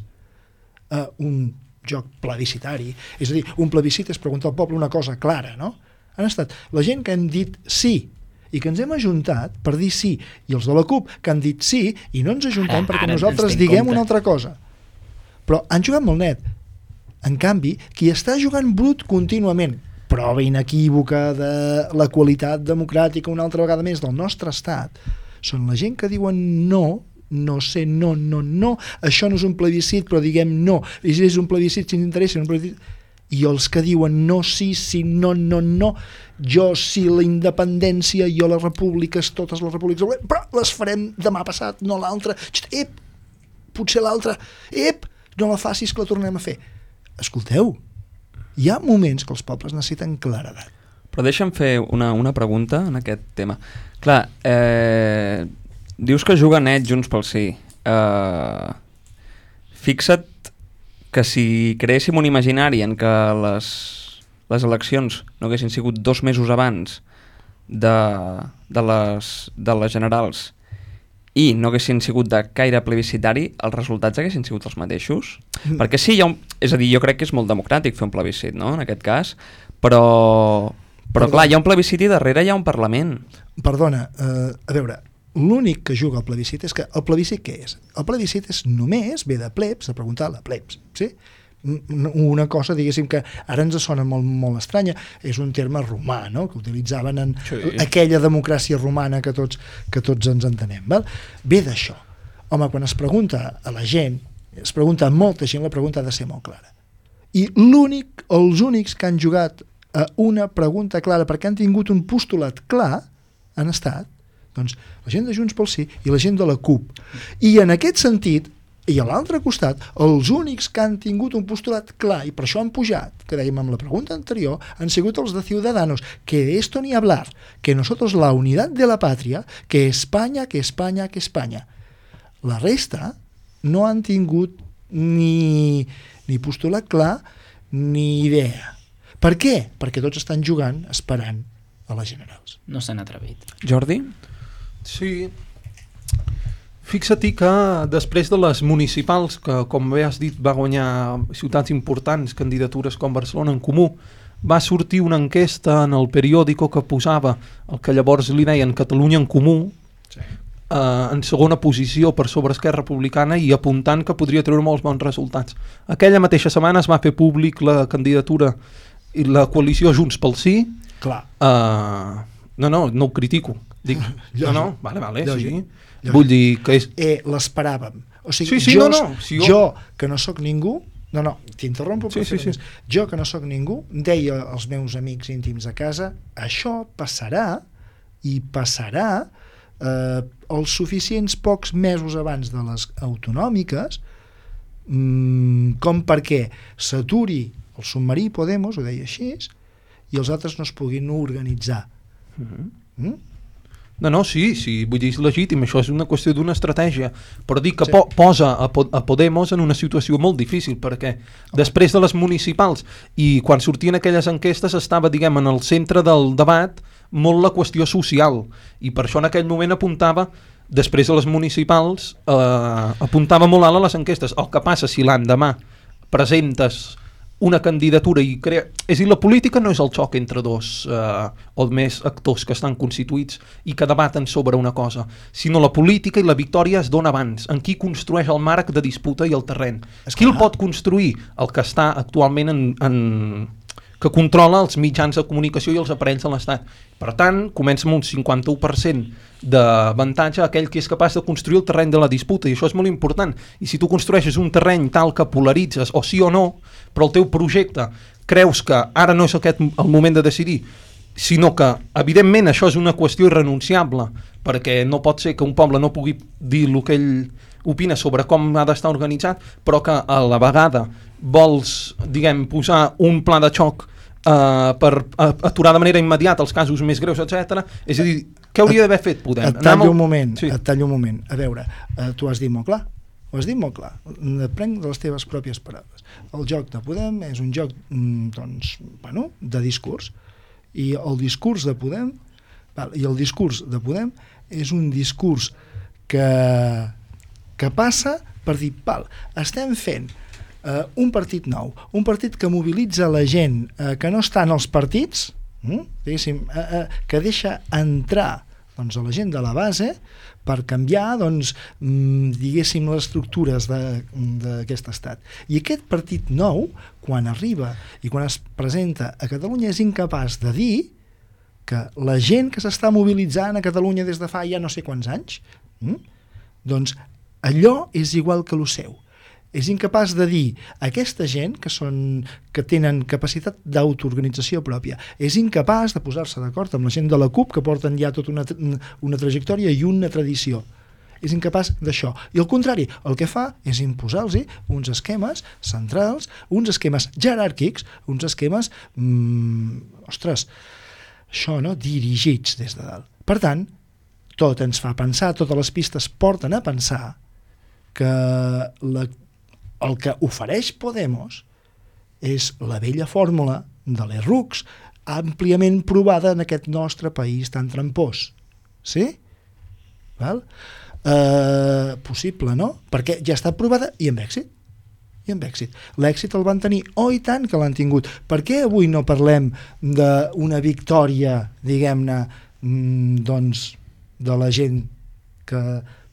Speaker 6: un joc plebiscitari, és a dir, un plebiscit és preguntar al poble una cosa clara, no? Han estat la gent que hem dit sí, i que ens hem ajuntat per dir sí, i els de la CUP que han dit sí i no ens ajuntem perquè nosaltres diguem una altra cosa. Però han jugat molt net. En canvi, qui està jugant brut contínuament, prova inequívoca de la qualitat democràtica una altra vegada més del nostre estat, són la gent que diuen no, això no és un plebiscit però diguem no, i si és un plebiscit si ens interessa, un plebiscit... i els que diuen no, sí, no, jo sí la independència, jo les repúbliques, totes les repúbliques, però les farem demà passat, no l'altra, potser l'altra, no la facis que la tornem a fer. Escolteu, hi ha moments que els pobles necessiten claredat.
Speaker 2: Però deixa'm fer una pregunta en aquest tema. Clar, dius que juga net Junts pel Sí. Fixa't que si creéssim un imaginari en que les eleccions no haguessin sigut 2 mesos abans de les generals i no haguessin sigut de caire plebiscitari, els resultats haguessin sigut els mateixos? Perquè sí, és a dir, jo crec que és molt democràtic fer un plebiscit, no?, en aquest cas, però clar, hi ha un plebiscit i darrere hi ha un Parlament. Perdona,
Speaker 6: a veure, l'únic que juga al plebiscit és que el plebiscit què és? El plebiscit és només, ve de plebs, de preguntar a la plebs, sí? Una cosa, diguéssim, que ara ens sona molt, molt estranya, és un terme romà, no?, que utilitzaven en aquella democràcia romana que tots ens entenem, val? Ve d'això. Home, quan es pregunta a la gent, es pregunta a molta gent, la pregunta ha de ser molt clara. I els únics que han jugat a una pregunta clara perquè han tingut un postulat clar han estat doncs la gent de Junts pel Sí i la gent de la CUP. I en aquest sentit, i a l'altre costat, els únics que han tingut un postulat clar i per això han pujat, que dèiem amb la pregunta anterior, han sigut els de Ciudadanos, que de esto ni hablar, que nosotros la unidad de la patria, que España, que España, que España. La resta no han tingut ni postulat clar ni idea. Per què? Perquè tots estan jugant esperant a les generals.
Speaker 4: No s'han atrevit.
Speaker 2: Jordi?
Speaker 3: Sí. Fixa-t'hi que després de les municipals, que com bé has dit va guanyar ciutats importants, candidatures com Barcelona en Comú, va sortir una enquesta en el periòdico que posava el que llavors li deien Catalunya en Comú, sí, en segona posició per sobre Esquerra Republicana i apuntant que podria treure molts bons resultats. Aquella mateixa setmana es va fer públic la candidatura i la coalició Junts pel Sí.
Speaker 6: Clar.
Speaker 3: No ho critico. Dic, vale, sí.
Speaker 6: Lògic.
Speaker 3: Vull dir que és...
Speaker 6: L'esperàvem. O sigui,
Speaker 3: sí,
Speaker 6: jo, que no sóc ningú, t'interrompo per fer més. Jo, que no sóc ningú, deia als meus amics íntims a casa, això passarà i passarà els suficients pocs mesos abans de les autonòmiques com perquè s'aturi el submarí Podemos, ho deia així, i els altres no es puguin organitzar.
Speaker 3: No, sí, vull dir, és legítim, això és una qüestió d'una estratègia, però dic que posa a Podemos en una situació molt difícil, perquè després de les municipals i quan sortien aquelles enquestes estava, diguem, en el centre del debat molt la qüestió social, i per això en aquell moment apuntava, després de les municipals, apuntava molt alt a les enquestes. El que passa si l'endemà presentes una candidatura i crea... És a dir, la política no és el xoc entre dos o més actors que estan constituïts i que debaten sobre una cosa, sinó la política i la victòria es dona abans, en qui construeix el marc de disputa i el terreny. Qui el pot construir? El que està actualment que controla els mitjans de comunicació i els aparells de l'Estat. Per tant, comença amb un 51% d'avantatge aquell que és capaç de construir el terreny de la disputa, i això és molt important. I si tu construeixes un terreny tal que polaritzes, o sí o no, però el teu projecte creus que ara no és aquest el moment de decidir, sinó que, evidentment, això és una qüestió irrenunciable, perquè no pot ser que un poble no pugui dir el que ell opina sobre com ha d'estar organitzat, però que a la vegada vols, diguem, posar un pla de xoc per aturar de manera immediata els casos més greus, etc. És a dir, què hauria d'haver fet Podem?
Speaker 6: Et tallo un moment. A veure, tu has dit molt clar. Ho has dit molt clar. Prenc de les teves pròpies paraules. El joc de Podem és un joc de discurs, i el discurs de Podem és un discurs que passa per dir, estem fent un partit nou, un partit que mobilitza la gent que no està en els partits, que deixa entrar a la gent de la base per canviar diguéssim les estructures d'aquest estat. I aquest partit nou, quan arriba i quan es presenta a Catalunya, és incapaç de dir que la gent que s'està mobilitzant a Catalunya des de fa ja no sé quants anys, doncs allò és igual que el seu. És incapaç de dir a aquesta gent que tenen capacitat d'autoorganització pròpia, és incapaç de posar-se d'acord amb la gent de la CUP, que porten ja tota una trajectòria i una tradició. És incapaç d'això. I al contrari, el que fa és imposar-los uns esquemes centrals, uns esquemes jeràrquics, uns esquemes dirigits des de dalt. Per tant, tot ens fa pensar, totes les pistes porten a pensar que el que ofereix Podemos és la vella fórmula de l'Errux, àmpliament provada en aquest nostre país tan trampós. Sí? Val? Possible, no? Perquè ja està provada i amb èxit. L'èxit el van tenir, i tant que l'han tingut. Per què avui no parlem d'una victòria, diguem-ne, de la gent que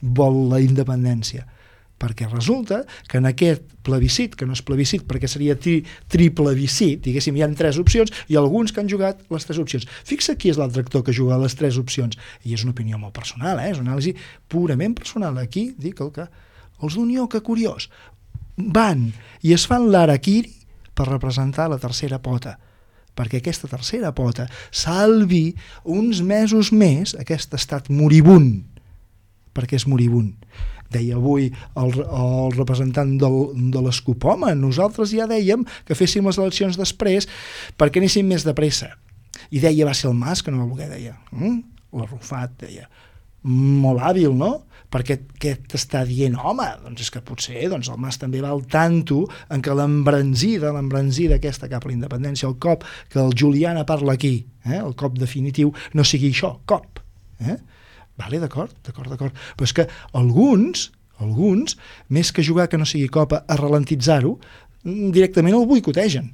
Speaker 6: vol la independència? Perquè resulta que en aquest plebiscit, que no és plebiscit perquè seria triplebiscit, diguéssim, hi ha 3 opcions i alguns que han jugat les 3 opcions. Fixa qui és l'altre actor que juga les 3 opcions, i és una opinió molt personal, és una anàlisi purament personal. Aquí dic que els d'Unió, que curiós, van i es fan l'harakiri per representar la tercera pota, perquè aquesta tercera pota salvi uns mesos més aquest estat moribund, perquè és moribund. Deia avui el representant de l'ESCUP, nosaltres ja dèiem que féssim les eleccions després perquè anéssim més de pressa. I deia, va ser el Mas que no va voler, deia. L'Arrufat, deia. Molt hàbil, no? Perquè què t'està dient? Home, doncs és que potser el Mas també va al tanto en que l'embranzida aquesta cap a la independència, el cop que el Juliana parla aquí, el cop definitiu, no sigui això, cop. Vale, d'acord. Però és que alguns, més que jugar que no sigui copa a ralentitzar-ho, directament el boicotegen.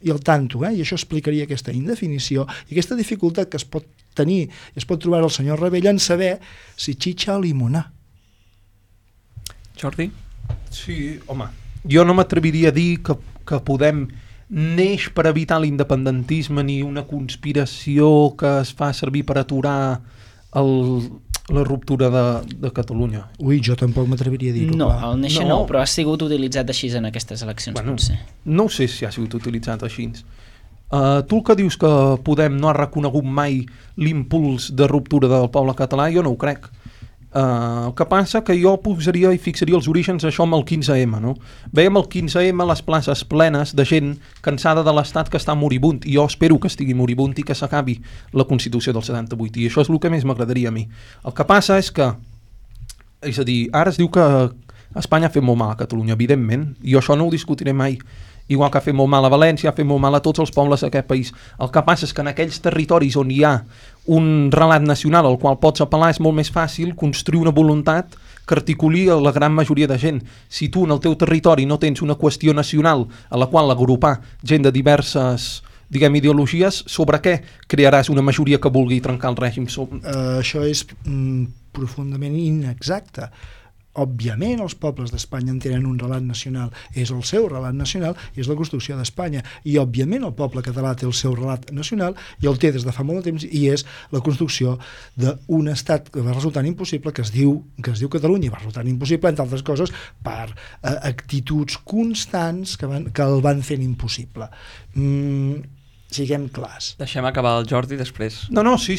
Speaker 6: I el tanto, i això explicaria aquesta indefinició i aquesta dificultat que es pot tenir i es pot trobar el senyor Rebell en saber si xitxa o limonar.
Speaker 2: Jordi?
Speaker 3: Sí, home, jo no m'atreviria a dir que Podem neix per evitar l'independentisme ni una conspiració que es fa servir per aturar la ruptura de Catalunya.
Speaker 6: Ui, jo tampoc m'atreviria a dir-ho.
Speaker 4: No, el néixer no, però ha sigut utilitzat així en aquestes eleccions, potser.
Speaker 3: No sé si ha sigut utilitzat així. Tu el que dius que Podem no ha reconegut mai l'impuls de ruptura del poble català, jo no ho crec. El que passa que jo posaria i fixaria els orígens això amb el 15M, no? Veiem el 15M les places plenes de gent cansada de l'estat que està moribund, i jo espero que estigui moribund i que s'acabi la Constitució del 78, i això és el que més m'agradaria a mi. El que passa és que, és a dir, ara es diu que Espanya ha fet molt mal a Catalunya, evidentment, i jo això no ho discutiré mai. Igual que ha fet molt mal a València, ha fet molt mal a tots els pobles d'aquest país. El que passa és que en aquells territoris on hi ha un relat nacional al qual pots apel·lar és molt més fàcil construir una voluntat que articuli a la gran majoria de gent. Si tu en el teu territori no tens una qüestió nacional a la qual agrupar gent de diverses, diguem, ideologies, sobre què crearàs una majoria que vulgui trencar el règim?
Speaker 6: Això és profundament inexacte. òbviament els pobles d'Espanya en tenen un relat nacional, és el seu relat nacional i és la construcció d'Espanya, i òbviament el poble català té el seu relat nacional i el té des de fa molt de temps, i és la construcció d'un estat que va resultant impossible, que es diu Catalunya, i va resultant impossible, entre altres coses, per actituds constants que el van fent impossible. Siguem clars.
Speaker 2: Deixem acabar el Jordi després.
Speaker 3: No, sí.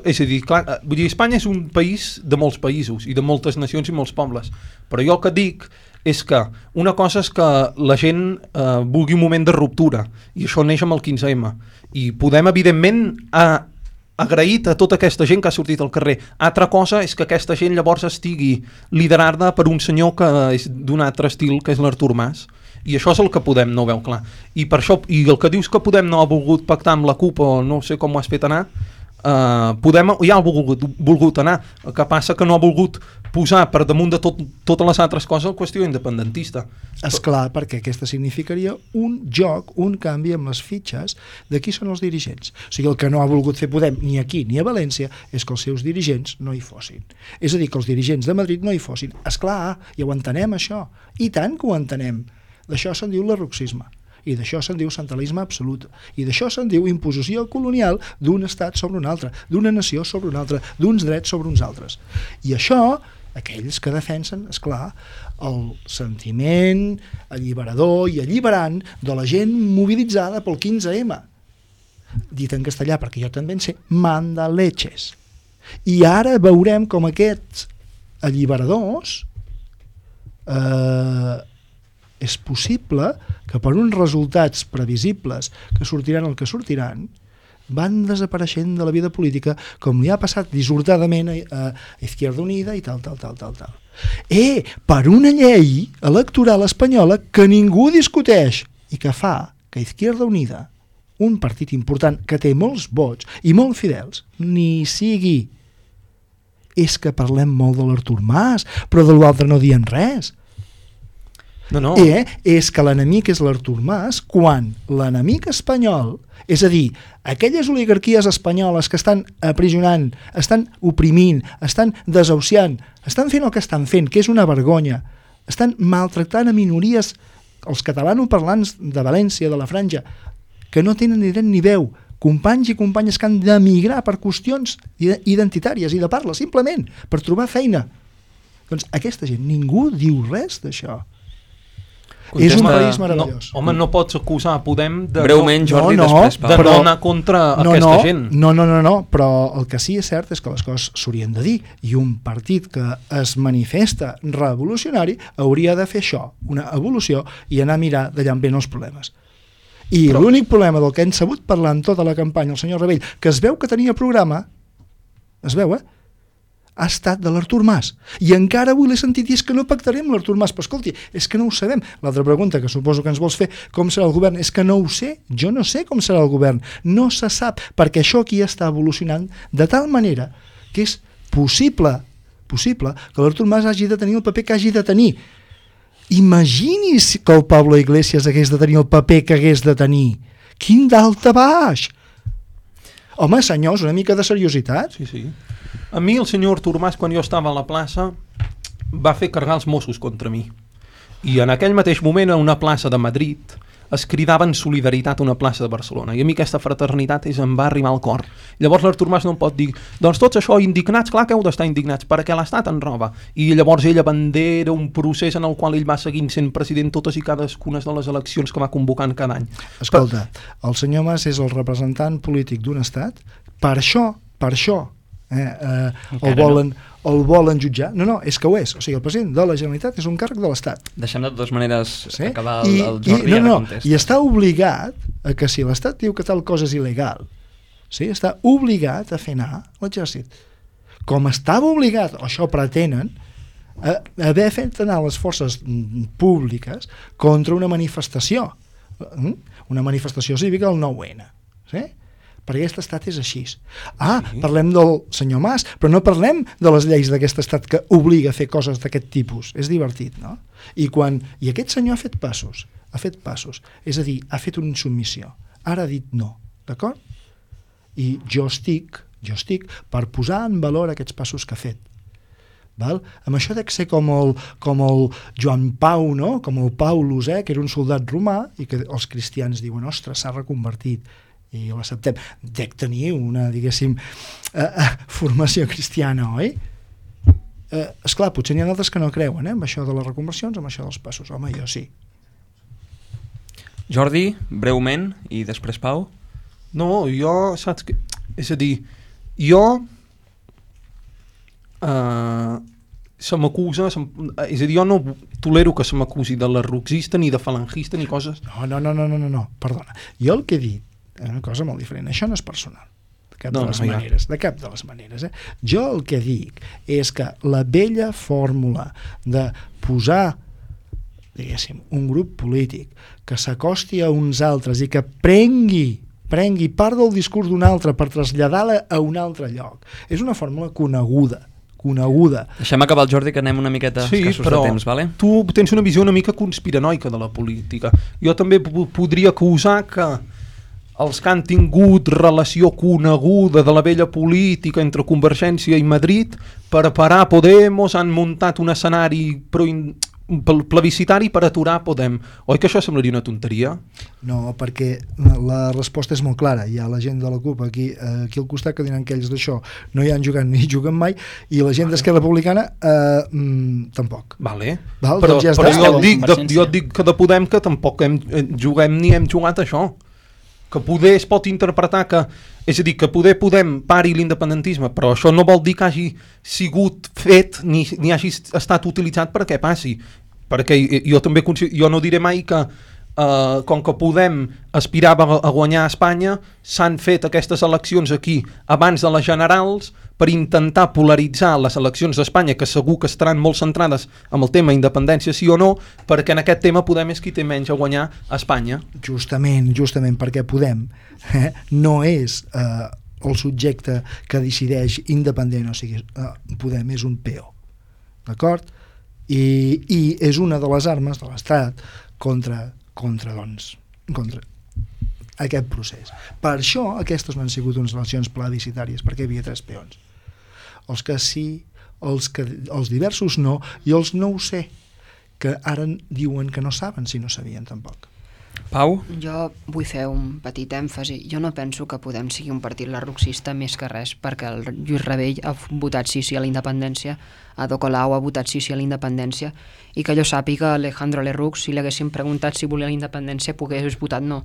Speaker 3: És a dir, clar, vull dir, Espanya és un país de molts països i de moltes nacions i molts pobles, però jo el que dic és que una cosa és que la gent vulgui un moment de ruptura, i això neix amb el 15M, i podem evidentment agraït a tota aquesta gent que ha sortit al carrer. Altra cosa és que aquesta gent llavors estigui liderada per un senyor que és d'un altre estil, que és l'Artur Mas, i això és el que Podem no veu clar, i per això, i el que dius que Podem no ha volgut pactar amb la CUP, o no sé com ho has fet anar, Podem ja ha volgut anar, el que passa que no ha volgut posar per damunt de totes les altres coses la qüestió independentista.
Speaker 6: Esclar, perquè aquesta significaria un joc, un canvi amb les fitxes de qui són els dirigents. O sigui, el que no ha volgut fer Podem ni aquí ni a València és que els seus dirigents no hi fossin. És a dir, que els dirigents de Madrid no hi fossin. Esclar, i ho entenem això, i tant que ho entenem. D'això se'n diu lerroxisme, i d'això se'n diu centralisme absolut, i d'això se'n diu imposició colonial d'un estat sobre un altre, d'una nació sobre una altra, d'uns drets sobre uns altres. I això, aquells que defensen, esclar, el sentiment alliberador i alliberant de la gent mobilitzada pel 15M, dit en castellà, perquè jo també en sé, manda leches. I ara veurem com aquests alliberadors és possible que per uns resultats previsibles que sortiran el que sortiran van desapareixent de la vida política, com li ha passat dissortadament a Izquierda Unida i tal. Per una llei electoral espanyola que ningú discuteix i que fa que Izquierda Unida, un partit important que té molts vots i molt fidels, ni sigui. És que parlem molt de l'Artur Mas, però de l'altre no diem res.
Speaker 3: No.
Speaker 6: És que l'enemic és l'Artur Mas, quan l'enemic espanyol, és a dir, aquelles oligarquies espanyoles que estan aprisionant, estan oprimint, estan desahuciant, estan fent el que estan fent, que és una vergonya, estan maltractant a minories, els catalanoparlants de València, de la Franja, que no tenen ni dret ni veu, companys i companyes que han d'emigrar per qüestions identitàries i de parla, simplement, per trobar feina. Doncs aquesta gent, ningú diu res d'això. És un país meravellós.
Speaker 3: Home, no pots acusar Podem de
Speaker 2: breument, Jordi, després
Speaker 3: de no anar contra aquesta gent.
Speaker 6: No, però el que sí és cert és que les coses s'haurien de dir, i un partit que es manifesta revolucionari hauria de fer això, una evolució, i anar a mirar d'allà on venen els problemes. I l'únic problema del que hem sabut parlar en tota la campanya el senyor Rebell, que es veu que tenia programa, es veu, ha estat de l'Artur Mas, i encara avui l'he sentit dir que no pactarem l'Artur Mas, però escolti, és que no ho sabem. L'altra pregunta que suposo que ens vols fer, com serà el govern, és que no ho sé, jo no sé com serà el govern, no se sap, perquè això aquí està evolucionant de tal manera que és possible que l'Artur Mas hagi de tenir el paper que hagi de tenir. Imagini's que el Pablo Iglesias hagués de tenir el paper que hagués de tenir. Quin daltabaix! Home, senyors, una mica de seriositat.
Speaker 3: Sí. A mi el senyor Artur Mas, quan jo estava a la plaça, va fer carregar els Mossos contra mi. I en aquell mateix moment, a una plaça de Madrid, es cridaven solidaritat a una plaça de Barcelona. I a mi aquesta fraternitat em va arribar al cor. Llavors l'Artur Mas no em pot dir, doncs tots això indignats, clar que heu d'estar indignats, perquè l'Estat en roba. I llavors ell abandera un procés en el qual ell va seguint sent president totes i cadascuna de les eleccions que va convocant cada any.
Speaker 6: Escolta, el senyor Mas és el representant polític d'un estat, per això el volen jutjar. No, és que ho és. O sigui, el president de la Generalitat és un càrrec de l'Estat.
Speaker 2: Deixem de totes maneres acabar el Jordi ara contesta.
Speaker 6: I està obligat a que si l'Estat diu que tal cosa és il·legal, sí, està obligat a fer anar l'exèrcit. Com estava obligat, o això pretenen, a haver fet anar les forces públiques contra una manifestació cívica el 9-N. Sí? Perquè aquest estat és així. Parlem del senyor Mas, però no parlem de les lleis d'aquest estat que obliga a fer coses d'aquest tipus. És divertit, no? I aquest senyor ha fet passos, és a dir, ha fet una insubmissió. Ara ha dit no, d'acord? I jo estic per posar en valor aquests passos que ha fet. Val? Amb això de ser com el Joan Pau, no? Com el Paulus, que era un soldat romà i que els cristians diuen, ostres, s'ha reconvertit i l'acceptem. Dec tenir una, diguéssim, formació cristiana, oi? Esclar, potser n'hi ha d'altres que no creuen, amb això de les reconversions, amb això dels passos. Home, jo sí.
Speaker 2: Jordi, breument, i després Pau.
Speaker 3: No, jo, saps que... És a dir, jo... se m'acusa, és a dir, jo no tolero que se m'acusi de lerroxista ni de falangista ni coses...
Speaker 6: No, perdona. Jo el que he dit és una cosa molt diferent. Això no és personal, de cap de les maneres. Jo el que dic és que la vella fórmula de posar, diguéssim, un grup polític que s'acosti a uns altres i que prengui part del discurs d'un altre per traslladar-la a un altre lloc, és una fórmula coneguda.
Speaker 2: Deixem acabar el Jordi, que anem una miqueta escassos de temps, vale?
Speaker 3: Tu tens una visió una mica conspiranoica de la política. Jo també podria acusar que els que han tingut relació coneguda de la vella política entre Convergència i Madrid per parar Podemos han muntat un escenari plebiscitari per aturar Podem. Oi que això semblaria una tonteria?
Speaker 6: No, perquè la resposta és molt clara. Hi ha la gent de la CUP aquí al costat que diran que ells d'això no hi han jugat ni juguen mai, i la gent d'Esquerra Republicana tampoc.
Speaker 3: Vale.
Speaker 6: Val?
Speaker 3: Però,
Speaker 6: doncs ja
Speaker 3: però
Speaker 6: jo
Speaker 3: et dic que de Podem que tampoc juguem ni hem jugat això. Que poder es pot interpretar que, és a dir, que Podem pari l'independentisme, però això no vol dir que hagi sigut fet ni hagi estat utilitzat perquè passi, perquè jo també jo no diré mai que com que Podem aspirava a guanyar a Espanya, s'han fet aquestes eleccions aquí abans de les generals per intentar polaritzar les eleccions d'Espanya, que segur que estaran molt centrades en el tema independència sí o no, perquè en aquest tema Podem és qui té menys a guanyar a Espanya.
Speaker 6: Justament, perquè Podem no és el subjecte que decideix independent, o sigui, Podem és un peó, d'acord? I és una de les armes de l'Estat contra aquest procés. Per això aquestes no han sigut unes eleccions plebiscitàries, perquè hi havia 3 peons. Els que sí, els diversos no, i els no ho sé, que ara diuen que no saben si no sabien tampoc.
Speaker 2: Pau?
Speaker 5: Jo vull fer un petit èmfasi. Jo no penso que Podem sigui un partit lerroxista més que res, perquè el Lluís Rabell ha votat sí a la independència, Ada Colau ha votat sí a la independència, i que jo sàpiga Alejandro Lerroux, si li haguessin preguntat si volia la independència, hagués votat no.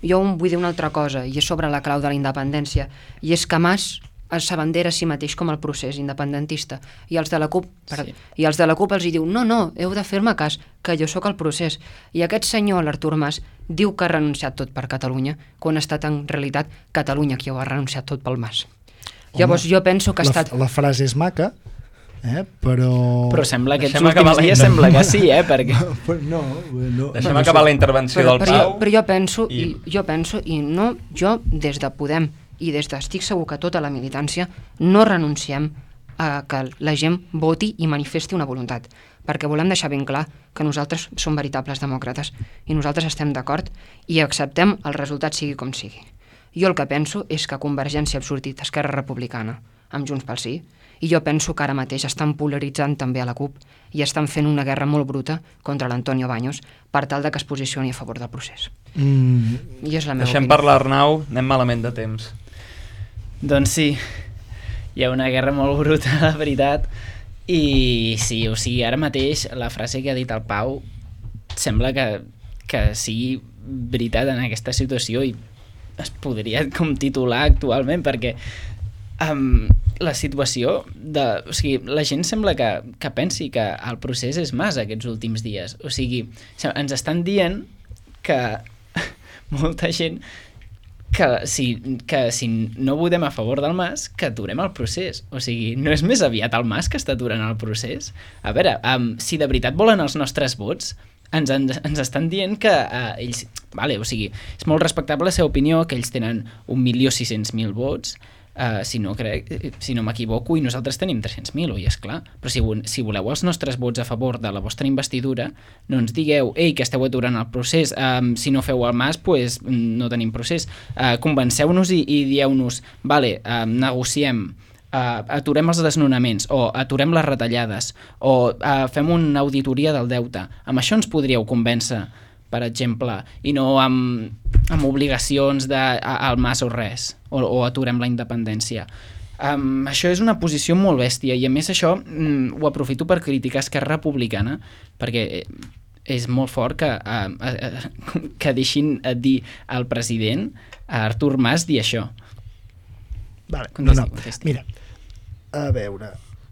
Speaker 5: Jo vull dir una altra cosa, i és sobre la clau de la independència, i és que Mas s'abandera a si mateix com el procés independentista, i els de la CUP els hi diu, no, heu de fer-me cas, que jo sóc el procés, i aquest senyor, l'Artur Mas, diu que ha renunciat tot per Catalunya, quan ha estat en realitat Catalunya qui ho ha renunciat tot pel Mas. Llavors jo penso que ha estat...
Speaker 6: La frase és maca, però
Speaker 4: sembla que aquests últims dies sembla que sí, perquè...
Speaker 6: No.
Speaker 2: Deixem acabar la intervenció del Pau.
Speaker 5: Però jo penso, jo des de Podem i des d'estic segur que tota la militància no renunciem a que la gent voti i manifesti una voluntat, perquè volem deixar ben clar que nosaltres som veritables demòcrates i nosaltres estem d'acord i acceptem el resultat sigui com sigui. Jo el que penso és que Convergència ha sortit Esquerra Republicana amb Junts pel Sí, i jo penso que ara mateix estan polaritzant també a la CUP i estan fent una guerra molt bruta contra l'Antonio Baños per tal de que es posicioni a favor del procés. I és la meva
Speaker 2: Deixem
Speaker 5: opinió.
Speaker 2: parlar Arnau, anem malament de temps.
Speaker 4: Doncs sí, hi ha una guerra molt bruta, la veritat, i sí, o sigui, ara mateix la frase que ha dit el Pau sembla que sigui veritat en aquesta situació i es podria com titular actualment, perquè la situació o sigui, la gent sembla que pensi que el procés és Mas aquests últims dies, o sigui, ens estan dient que molta gent que si no votem a favor del Mas, que aturem el procés. O sigui, no és més aviat el Mas que està aturant el procés? A veure, si de veritat volen els nostres vots, ens estan dient que ells... Vale, o sigui, és molt respectable la seva opinió, que ells tenen 1.600.000 vots, si no m'equivoco, i nosaltres tenim 300.000, oi, esclar. Però si voleu els nostres vots a favor de la vostra investidura, no ens digueu, ei, que esteu aturant el procés, si no feu el Mas, pues, no tenim procés. Convenceu-nos i dieu-nos, vale, negociem aturem els desnonaments o aturem les retallades o fem una auditoria del deute. Amb això ens podríeu convèncer, per exemple, i no amb obligacions al mas o res, o aturem la independència. Això és una posició molt bèstia i a més això ho aprofito per criticar Esquerra Republicana, perquè és molt fort que deixin dir al president, a Artur Mas, dir això.
Speaker 6: Vale,
Speaker 4: contesti.
Speaker 6: Mira, a veure,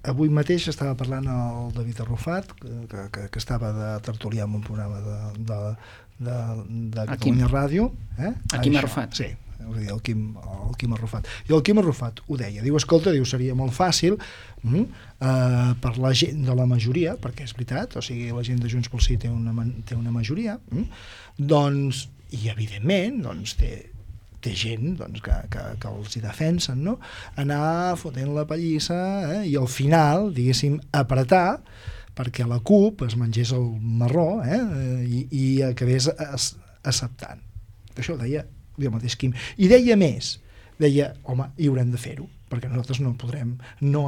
Speaker 6: avui mateix estava parlant el David Arrufat, que estava de tertulià en un programa de Catalunya Ràdio.
Speaker 4: El Quim Arrufat.
Speaker 6: Sí, el Quim Arrufat. I el Quim Arrufat ho deia, diu, escolta, seria molt fàcil per la gent de la majoria, perquè és veritat, o sigui, la gent de Junts pel Sí té una majoria, doncs, i evidentment, doncs, té gent que els hi defensen, no? Anar fotent la pallissa i al final, diguéssim, apretar perquè la CUP es mengés el marró i acabés acceptant. Això ho deia el mateix Quim. I deia més, deia, home, i haurem de fer-ho, perquè nosaltres no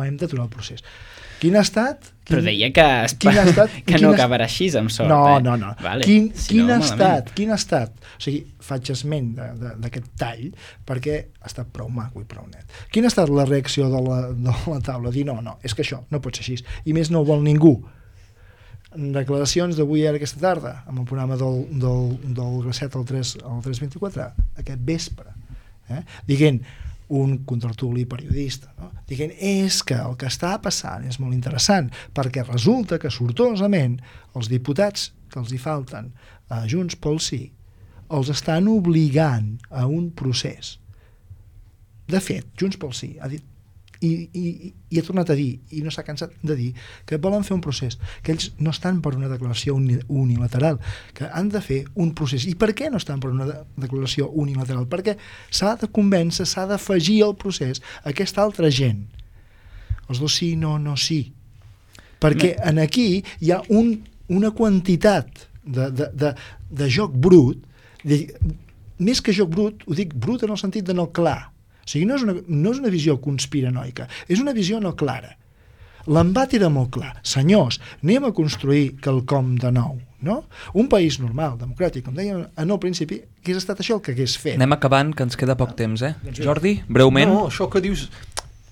Speaker 6: hem d'aturar el procés. Quin ha estat?
Speaker 4: Però deia que no acabarà així, amb sort.
Speaker 6: No.
Speaker 4: Vale.
Speaker 6: Quin ha estat? O sigui, faig esment d'aquest tall perquè ha estat prou maco i prou net. Quina ha estat la reacció de la taula? Dir, no, és que això no pot ser així. I més no ho vol ningú. Declaracions d'avui ara aquesta tarda, amb el programa del Gracet al 324, aquest vespre, dient un contrartuli periodista, no? Dient, és que el que està passant és molt interessant, perquè resulta que sortosament els diputats que els hi falten a Junts pel Sí els estan obligant a un procés. De fet, Junts pel Sí ha dit i ha tornat a dir, i no s'ha cansat de dir, que volen fer un procés, que ells no estan per una declaració unilateral, que han de fer un procés. I per què no estan per una declaració unilateral? Perquè s'ha de convèncer, s'ha d'afegir al procés aquesta altra gent. Els dos sí, no sí. Perquè en aquí hi ha una quantitat de joc brut, més que joc brut, ho dic brut en el sentit de no clar. O sigui, no és una visió conspiranoica, és una visió no clara. L'embat era molt clar. Senyors, anem a construir quelcom de nou, no? Un país normal, democràtic, com deia en el principi, que hagués estat això el que hagués fet.
Speaker 2: Anem acabant, que ens queda poc temps, Jordi, breument.
Speaker 3: No, això que dius...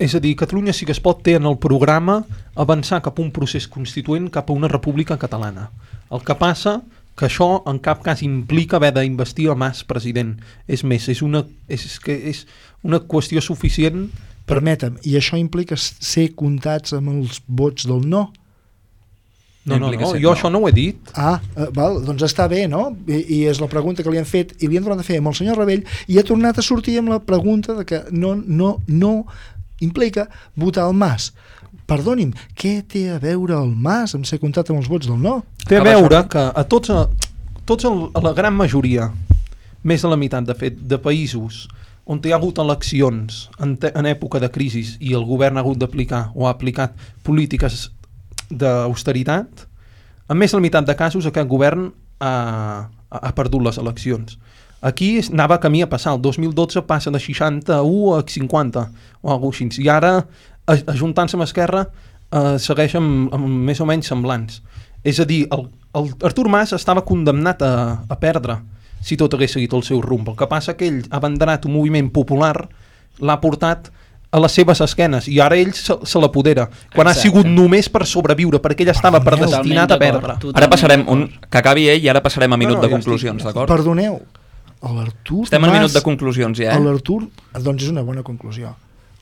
Speaker 3: És a dir, Catalunya sí que es pot té en el programa avançar cap a un procés constituent, cap a una república catalana. El que passa que això en cap cas implica haver d'investir el Mas president. És més, és una qüestió suficient...
Speaker 6: Permetem, i això implica ser comptats amb els vots del no?
Speaker 3: No, jo això no ho he dit.
Speaker 6: Val, doncs està bé, no? I és la pregunta que li han fet, i li han tornat a fer amb el senyor Rebell, i ha tornat a sortir amb la pregunta de que no implica votar el Mas. Perdoni'm, què té a veure el Mas amb ser comptat amb els vots del no?
Speaker 3: Té a veure que a la gran majoria, més de la meitat, de fet, de països on hi ha hagut eleccions en època de crisi i el govern ha hagut d'aplicar o ha aplicat polítiques d'austeritat, en més de la meitat de casos aquest govern ha perdut les eleccions. Aquí anava camí a passar, el 2012 passa de 61 a 50 o alguna cosa així, i ara ajuntant-se amb Esquerra segueix amb més o menys semblants. És a dir, el Artur Mas estava condemnat a perdre si tot hagués seguit el seu rumb. El que passa que ell ha abanderat un moviment popular, l'ha portat a les seves esquenes i ara ell se l'apodera, quan ha sigut només per sobreviure, perquè ell estava predestinat a perdre.
Speaker 2: Ara passarem, que acabi ell i ara passarem a minut de conclusions, d'acord?
Speaker 6: Perdoneu, l'Artur
Speaker 2: Estem en minut de conclusions ja,
Speaker 6: L'Artur, doncs és una bona conclusió.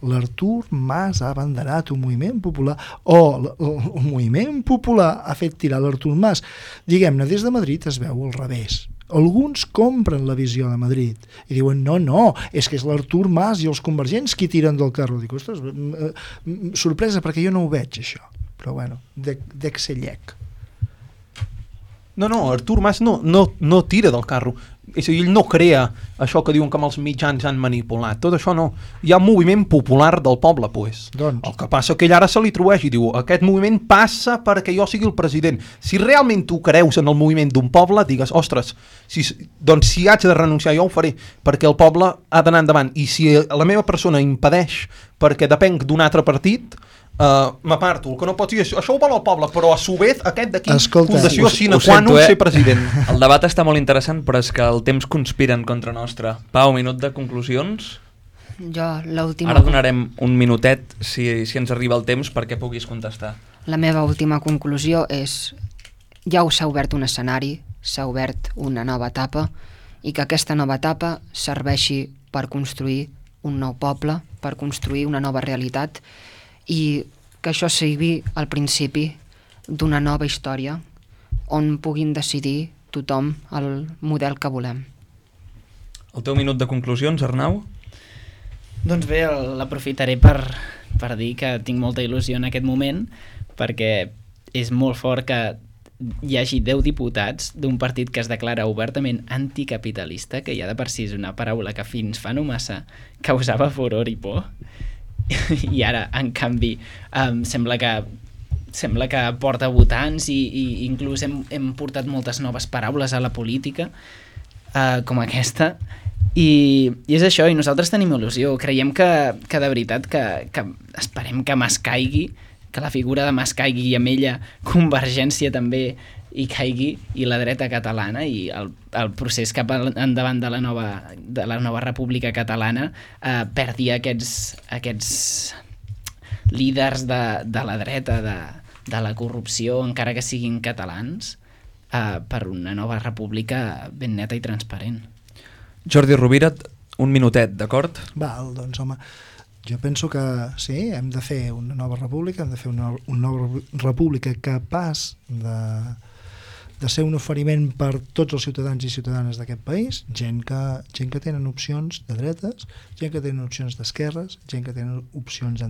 Speaker 6: L'Artur Mas ha abanderat un moviment popular, o el moviment popular ha fet tirar l'Artur Mas. Diguem-ne, des de Madrid es veu al revés. Alguns compren la visió de Madrid i diuen, no, és que és l'Artur Mas i els convergents qui tiren del carro. Dic, ostres, sorpresa, perquè jo no ho veig, això. Però bueno, dec ser llec.
Speaker 3: No, Artur Mas no tira del carro. És a dir, ell no crea això que diuen que amb els mitjans han manipulat. Tot això no. Hi ha un moviment popular del poble, pues.
Speaker 6: Doncs.
Speaker 3: El que passa que ell ara se li atribueix i diu aquest moviment passa perquè jo sigui el president. Si realment tu creus en el moviment d'un poble, digues, ostres, doncs si haig de renunciar jo ho faré, perquè el poble ha d'anar endavant. I si la meva persona impedeix perquè depenc d'un altre partit, m'aparto. El que no pot dir, això ho vol el poble, però a su vez aquest d'aquí, fundació sine qua non ser president.
Speaker 2: El debat està molt interessant, però és que el temps conspira en contra nostra. Pau, minut de conclusions?
Speaker 5: Jo, l'última...
Speaker 2: Ara donarem un minutet, si ens arriba el temps, perquè puguis contestar.
Speaker 5: La meva última conclusió és ja s'ha obert un escenari, s'ha obert una nova etapa, i que aquesta nova etapa serveixi per construir un nou poble, per construir una nova realitat, i que això sigui el principi d'una nova història on puguin decidir tothom el model que volem.
Speaker 2: El teu minut de conclusions, Arnau?
Speaker 4: Doncs bé, l'aprofitaré per dir que tinc molta il·lusió en aquest moment, perquè és molt fort que hi hagi 10 diputats d'un partit que es declara obertament anticapitalista, que ja de per si és una paraula que fins fa no massa causava furor i por, i ara, en canvi, sembla que porta votants i inclús hem portat moltes noves paraules a la política, com aquesta, i és això, i nosaltres tenim il·lusió. Creiem que de veritat que esperem que Mas caigui, que la figura de Mas caigui i amb ella Convergència també hi caigui, i la dreta catalana i el procés cap endavant de la nova república catalana perdi aquests líders de la dreta, de la corrupció, encara que siguin catalans, per una nova república ben neta i transparent.
Speaker 2: Jordi Rovira, un minutet, d'acord?
Speaker 6: Val, doncs home, jo penso que sí, hem de fer una nova república, hem de fer una nova república capaç de ser un oferiment per tots els ciutadans i ciutadanes d'aquest país, gent que tenen opcions de dretes, gent que tenen opcions d'esquerres, gent que tenen opcions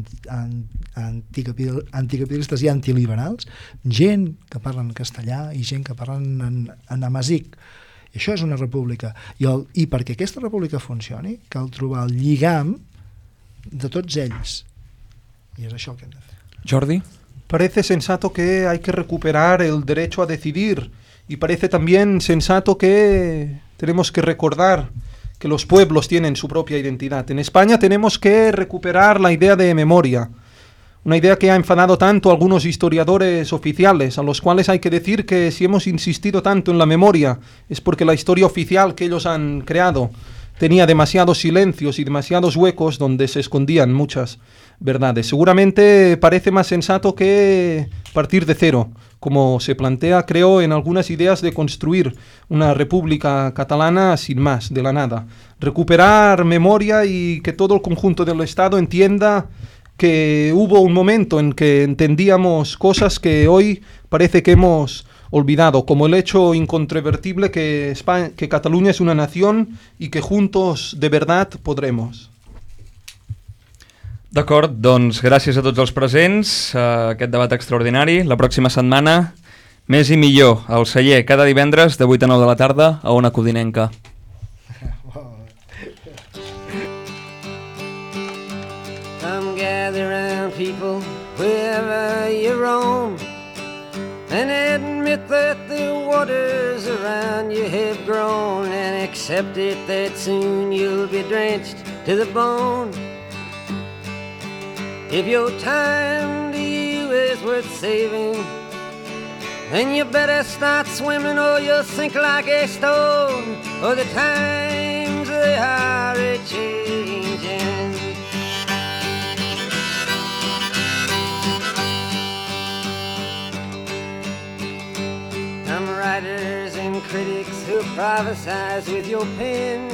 Speaker 6: anticapitalistes i antiliberals, gent que parlen castellà i gent que parlen en amazic. I això és una república. I perquè aquesta república funcioni, cal trobar el lligam de tots ells. I és això el que hem de fer.
Speaker 2: Jordi?
Speaker 3: Parece sensato que hay que recuperar el derecho a decidir, y parece también sensato que tenemos que recordar que los pueblos tienen su propia identidad. En España tenemos que recuperar la idea de memoria, una idea que ha enfadado tanto a algunos historiadores oficiales, a los cuales hay que decir que si hemos insistido tanto en la memoria es porque la historia oficial que ellos han creado tenía demasiados silencios y demasiados huecos donde se escondían muchas verdades. Seguramente parece más sensato que partir de cero, como se plantea, creo, en algunas ideas de construir una república catalana sin más, de la nada. Recuperar memoria y que todo el conjunto del Estado entienda que hubo un momento en que entendíamos cosas que hoy parece que hemos olvidado, como el hecho incontrovertible que Cataluña es una nación y que juntos de verdad podremos.
Speaker 2: D'acord, doncs gràcies a tots els presents a aquest debat extraordinari. La pròxima setmana, més i millor, al celler, cada divendres de 8 a 9 de la tarda a Ona Codinenca.
Speaker 1: Come gather round, people, wherever you roam, and admit that the waters around you have grown, and accept it that soon you'll be drenched to the bone. If your time to you is worth saving, then you better start swimming or you'll sink like a stone, or the times they are a-changing. Some writers and critics who prophesize with your pen,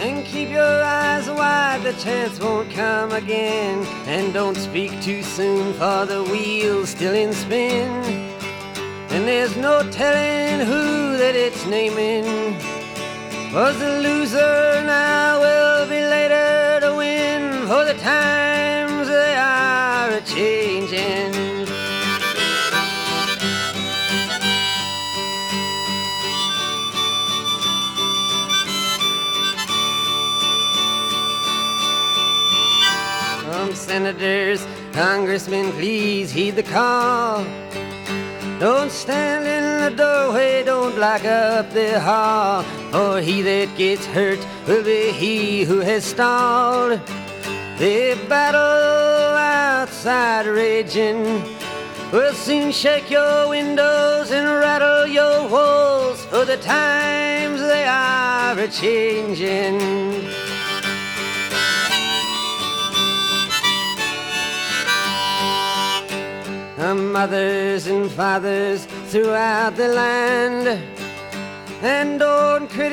Speaker 1: and keep your eyes wide, the chance won't come again. And don't speak too soon, for the wheel's still in spin, and there's no telling who that it's naming was the loser, now will be later to win, for the times they are a-changing. senators, congressmen, please heed the call. Don't stand in the doorway, don't block up the hall, for he that gets hurt will be he who has stalled. The battle outside raging will soon shake your windows and rattle your walls, for the times they are a-changing. Mothers and fathers throughout the land, and don't criticize